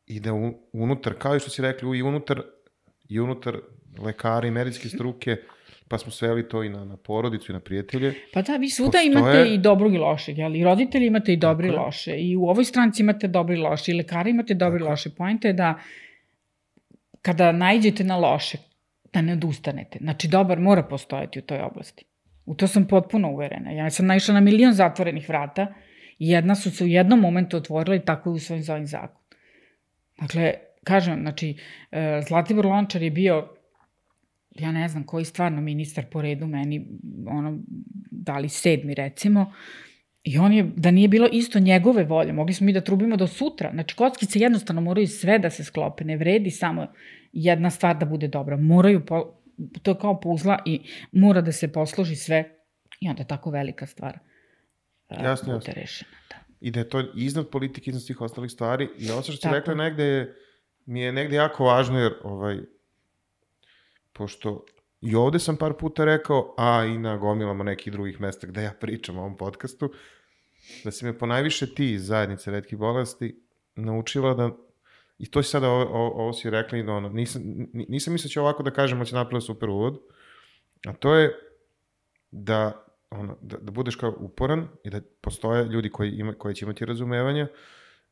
A: I da u, unutar, kao i što si rekli, i unutar, i unutar lekara i medicinske struke, pa smo sveli to i na, na porodicu i na prijatelje.
B: Pa da, vi svuda postoje... imate i dobrog i lošeg, jel? I roditelji imate i dobri i loše. I u ovoj stranci imate dobri i loše. I lekari imate dobri i loše. Poenta je da kada naiđete na loše, da ne odustanete. Znači, dobar mora postojati u toj oblasti. U to sam potpuno uverena. Ja sam naišla na milion zatvorenih vrata i jedna su se u jednom momentu otvorila i tako je usvojen za ovim zakon. Dakle, kažem, znači, Zlatibor Lončar je bio, ja ne znam koji stvarno ministar po redu meni, ono, da li sedmi recimo, i on je, da nije bilo isto njegove volje, mogli smo mi da trubimo do sutra. Znači, kockice jednostavno moraju sve da se sklope, ne vredi samo jedna stvar da bude dobra. Moraju, po, to je kao puzla i mora da se posloži sve I onda tako velika stvar uh,
A: jasno,
B: bude
A: jasno.
B: rešena. Da.
A: I da je to iznad politike, iznad svih ostalih stvari. I ovo što ste
B: tako.
A: rekla negde je, mi je negde jako važno, jer ovaj, pošto i ovde sam par puta rekao, a i na gomilama nekih drugih mesta gde ja pričam o ovom podcastu, da si me ponajviše ti iz zajednice retkih bolesti naučila da, i to si sada, ovo, ovo, ovo si rekla i da ono, nisam, nisam mislio će ovako da kažem, da će napraviti super uvod, a to je da, ono, da, da budeš kao uporan i da postoje ljudi koji, ima, koji će imati razumevanja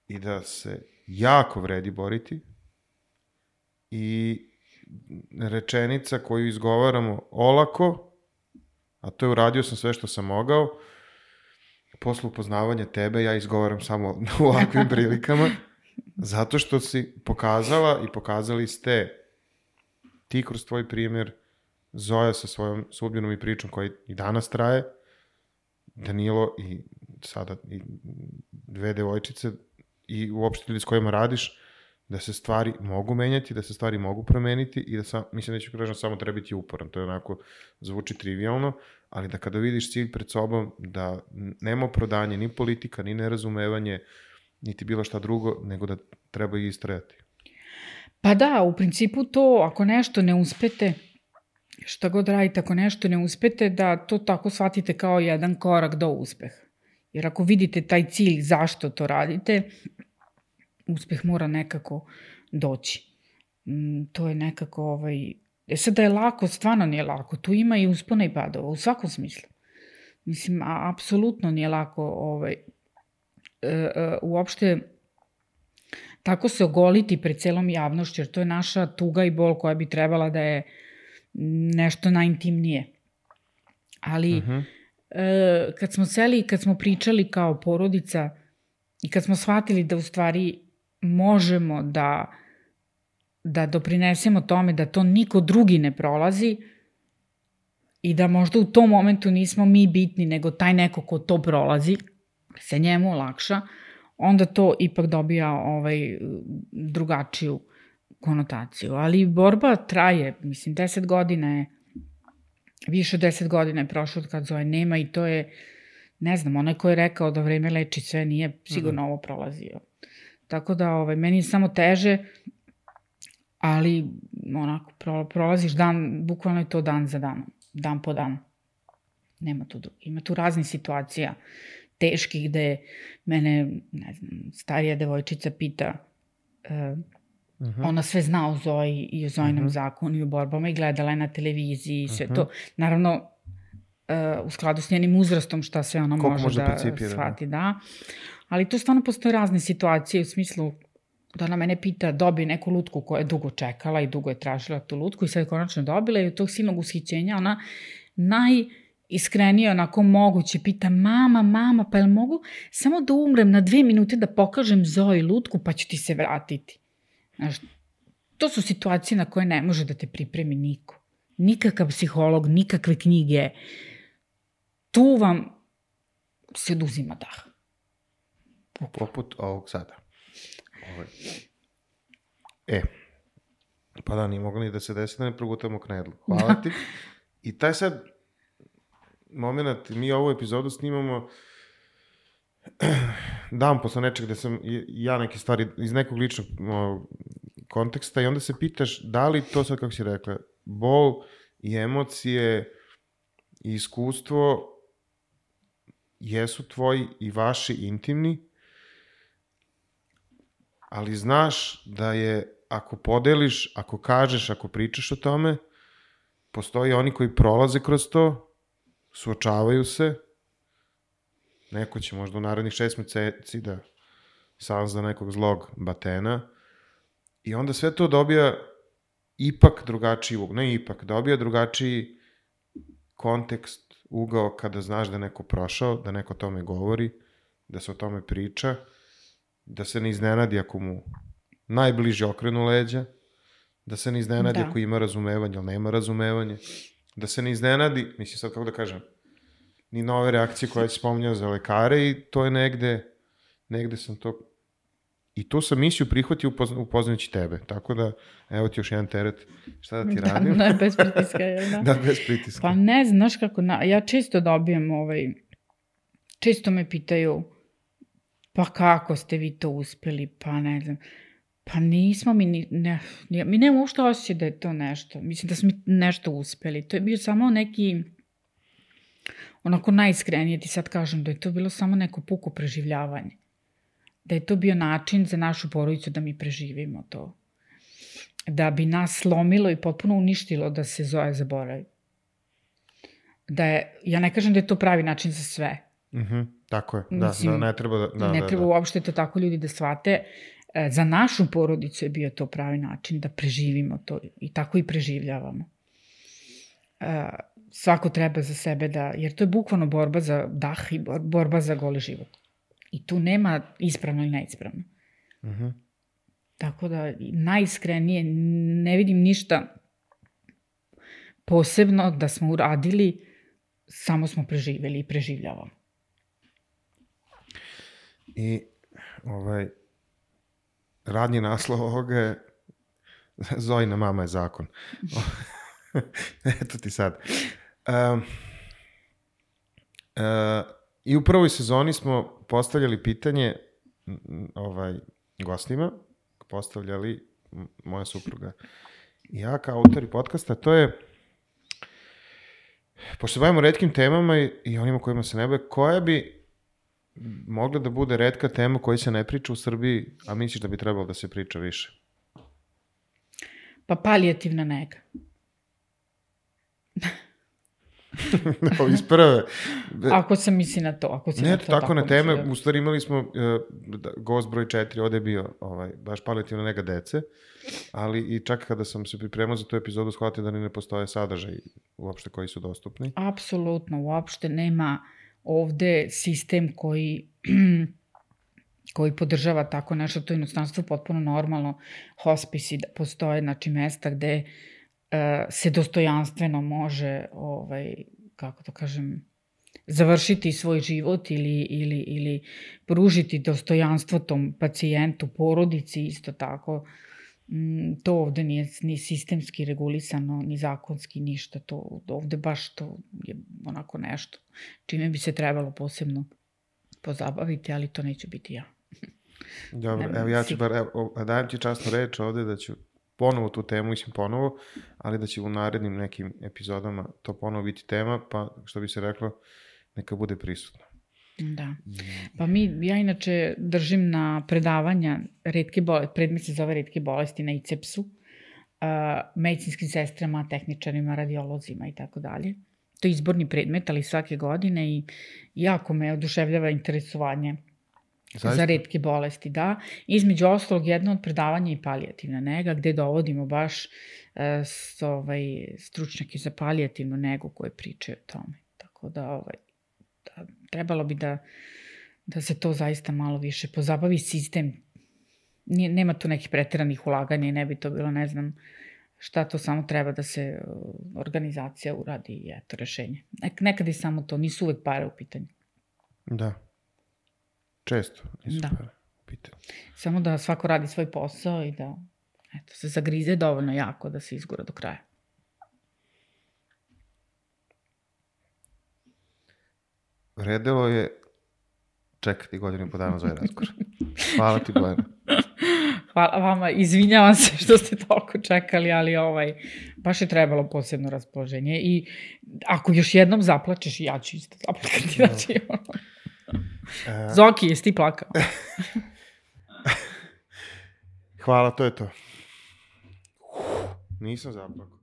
A: i da se jako vredi boriti i rečenica koju izgovaramo olako, a to je uradio sam sve što sam mogao, posle upoznavanja tebe ja izgovaram samo u ovakvim prilikama, zato što si pokazala i pokazali ste ti kroz tvoj primjer, Zoja sa svojom sudbinom i pričom koja i danas traje, Danilo i sada i dve devojčice i uopšte ljudi s kojima radiš, da se stvari mogu menjati, da se stvari mogu promeniti i da sam, mislim da ću kažem samo treba biti uporan, to je onako zvuči trivialno, ali da kada vidiš cilj pred sobom, da nema opravdanje ni politika, ni nerazumevanje, niti bilo šta drugo, nego da treba i istrajati.
B: Pa da, u principu to, ako nešto ne uspete, šta god radite, ako nešto ne uspete, da to tako shvatite kao jedan korak do uspeha. Jer ako vidite taj cilj zašto to radite, uspeh mora nekako doći. Mm, to je nekako, ovaj... E sad da je lako, stvarno nije lako. Tu ima i uspona i padova, u svakom smislu. Mislim, a, apsolutno nije lako ovaj, e, e, uopšte tako se ogoliti pred celom javnošću, jer to je naša tuga i bol koja bi trebala da je nešto najintimnije. Ali uh-huh. e, kad smo seli, kad smo pričali kao porodica i kad smo shvatili da u stvari možemo da, da doprinesemo tome da to niko drugi ne prolazi i da možda u tom momentu nismo mi bitni, nego taj neko ko to prolazi, se njemu olakša, onda to ipak dobija ovaj, drugačiju konotaciju. Ali borba traje, mislim, deset godina je, više od deset godina je prošlo od kad Zoe nema i to je, ne znam, onaj ko je rekao da vreme leči sve, nije sigurno ovo prolazio. Tako da, ovaj, meni je samo teže, ali onako, prolaziš dan, bukvalno je to dan za danom, dan po dan. Nema tu drugi. Ima tu raznih situacija teških gde mene, ne znam, starija devojčica pita, uh, uh-huh. ona sve zna o Zoji i o Zojinom uh-huh. zakonu i o borbama i gledala je na televiziji i sve uh-huh. to. Naravno, uh, u skladu s njenim uzrastom šta sve ona može, može da shvati, da. da. Ali tu stvarno postoje razne situacije u smislu da ona mene pita, dobije neku lutku koja je dugo čekala i dugo je tražila tu lutku i sad je konačno dobila i od tog silnog ushićenja ona najiskrenije onako moguće pita, mama, mama, pa jel mogu samo da umrem na dve minute da pokažem Zoji lutku pa ću ti se vratiti. Znaš, to su situacije na koje ne može da te pripremi niko. Nikakav psiholog, nikakve knjige. Tu vam se oduzima dah.
A: Poput ovog sada. Ovo. E, pa da, nije moglo ni da se desi da ne progutamo knedlu. Hvala ti. I taj sad moment, mi ovu epizodu snimamo dan posle nečeg gde sam ja neke stvari iz nekog ličnog o, konteksta i onda se pitaš da li to sad, kako si rekla, bol i emocije i iskustvo jesu tvoji i vaši intimni, ali znaš da je, ako podeliš, ako kažeš, ako pričaš o tome, postoji oni koji prolaze kroz to, suočavaju se, neko će možda u narednih šest meseci da sazna nekog zlog batena i onda sve to dobija ipak drugačiji, ne ipak, dobija drugačiji kontekst, ugao kada znaš da je neko prošao, da neko o tome govori, da se o tome priča, da se ne iznenadi ako mu najbliži okrenu leđa, da se ne iznenadi da. Ako ima razumevanje ili nema razumevanje, da se ne iznenadi, mislim sad kako da kažem, ni nove reakcije koje si spominjao za lekare i to je negde, negde sam to I tu sam misiju prihvatio upozna, upoznajući tebe. Tako da, evo ti još jedan teret. Šta da ti
B: da,
A: radim?
B: Da, bez pritiska, jel da?
A: Da, bez pritiska.
B: Pa ne, znaš kako, na, ja često dobijem, ovaj, često me pitaju, pa kako ste vi to uspeli, pa ne znam, pa nismo mi, ni, ne, mi nemamo uopšte osjećaj da je to nešto, mislim da smo nešto uspeli, to je bio samo neki, onako najiskrenije ti sad kažem, da je to bilo samo neko puko preživljavanje, da je to bio način za našu porodicu da mi preživimo to, da bi nas slomilo i potpuno uništilo da se Zoja zaboravi. Da je, ja ne kažem da je to pravi način za sve.
A: Mhm, tako je, da,
B: Mislim,
A: da, ne treba da... da
B: ne
A: da,
B: treba
A: da.
B: uopšte to tako ljudi da shvate. E, za našu porodicu je bio to pravi način da preživimo to i tako i preživljavamo. E, svako treba za sebe da, jer to je bukvalno borba za dah i borba za goli život. I tu nema ispravno i neispravno.
A: Mhm.
B: Tako da, najiskrenije, ne vidim ništa posebno da smo uradili, samo smo preživjeli i preživljavamo.
A: I ovaj, radnji naslov ovoga je Zojina mama je zakon. Eto ti sad. Um, uh, I u prvoj sezoni smo postavljali pitanje ovaj, gostima, postavljali moja supruga i ja kao autori podcasta, to je, pošto se bavimo retkim temama i, i onima kojima se ne bave, koja bi mogla da bude retka tema koja se ne priča u Srbiji, a misliš da bi trebalo da se priča više?
B: Pa palijativna nega.
A: No, iz prve.
B: Ako sam misli na to. Ako si
A: ne,
B: na to
A: tako, tako na teme,
B: da...
A: u stvari imali smo uh, gost broj četiri, ovde je bio ovaj, baš palijativna nega dece, ali i čak kada sam se pripremao za tu epizodu, shvatio da ni ne postoje sadržaj uopšte koji su dostupni.
B: Apsolutno, uopšte nema ovde sistem koji koji podržava tako nešto, to je inostranstvo potpuno normalno, hospisi da postoje, znači mesta gde uh, se dostojanstveno može, ovaj, kako to kažem, završiti svoj život ili, ili, ili pružiti dostojanstvo tom pacijentu, porodici isto tako. Mm, to ovde nije ni sistemski regulisano, ni zakonski, ništa. To, ovde baš to je onako nešto čime bi se trebalo posebno pozabaviti, ali to neću biti ja.
A: Dobro, evo ja ću bar, evo, dajem ti časnu reč ovde da ću ponovo tu temu, mislim ponovo, ali da će u narednim nekim epizodama to ponovo biti tema, pa što bi se reklo, neka bude prisutno.
B: Da. Pa mi, ja inače držim na predavanja retke bolesti, predmet se zove retke bolesti na I C E P S-u, uh, medicinskim sestrama, tehničarima, radiolozima i tako dalje. To je izborni predmet, ali svake godine i jako me oduševljava interesovanje Zaista? Za retke bolesti, da. Između ostalog, jedno od predavanja je palijativna nega, gde dovodimo baš uh, s, ovaj, stručnjake za palijativnu negu koje pričaju o tome. Tako da, ovaj, da trebalo bi da, da se to zaista malo više pozabavi sistem. Nije, nema tu nekih preteranih ulaganja i ne bi to bilo, ne znam, šta to samo treba da se uh, organizacija uradi i eto rešenje. Nek, nekad i samo to, nisu uvek pare u pitanju.
A: Da. Često nisu
B: da.
A: pare u pitanju.
B: Samo da svako radi svoj posao i da eto, se zagrize dovoljno jako da se izgura do kraja.
A: Vredelo je čekati godinu i po dana za ovaj razgovor. Hvala ti, Bojana.
B: Hvala vama, izvinjavam se što ste toliko čekali, ali ovaj, baš je trebalo posebno raspoloženje i ako još jednom zaplačeš, ja ću isto zaplakati. Znači, ono... Uh, Zoki, jesi ti plakao?
A: Hvala, to je to. Uf, nisam zaplakao.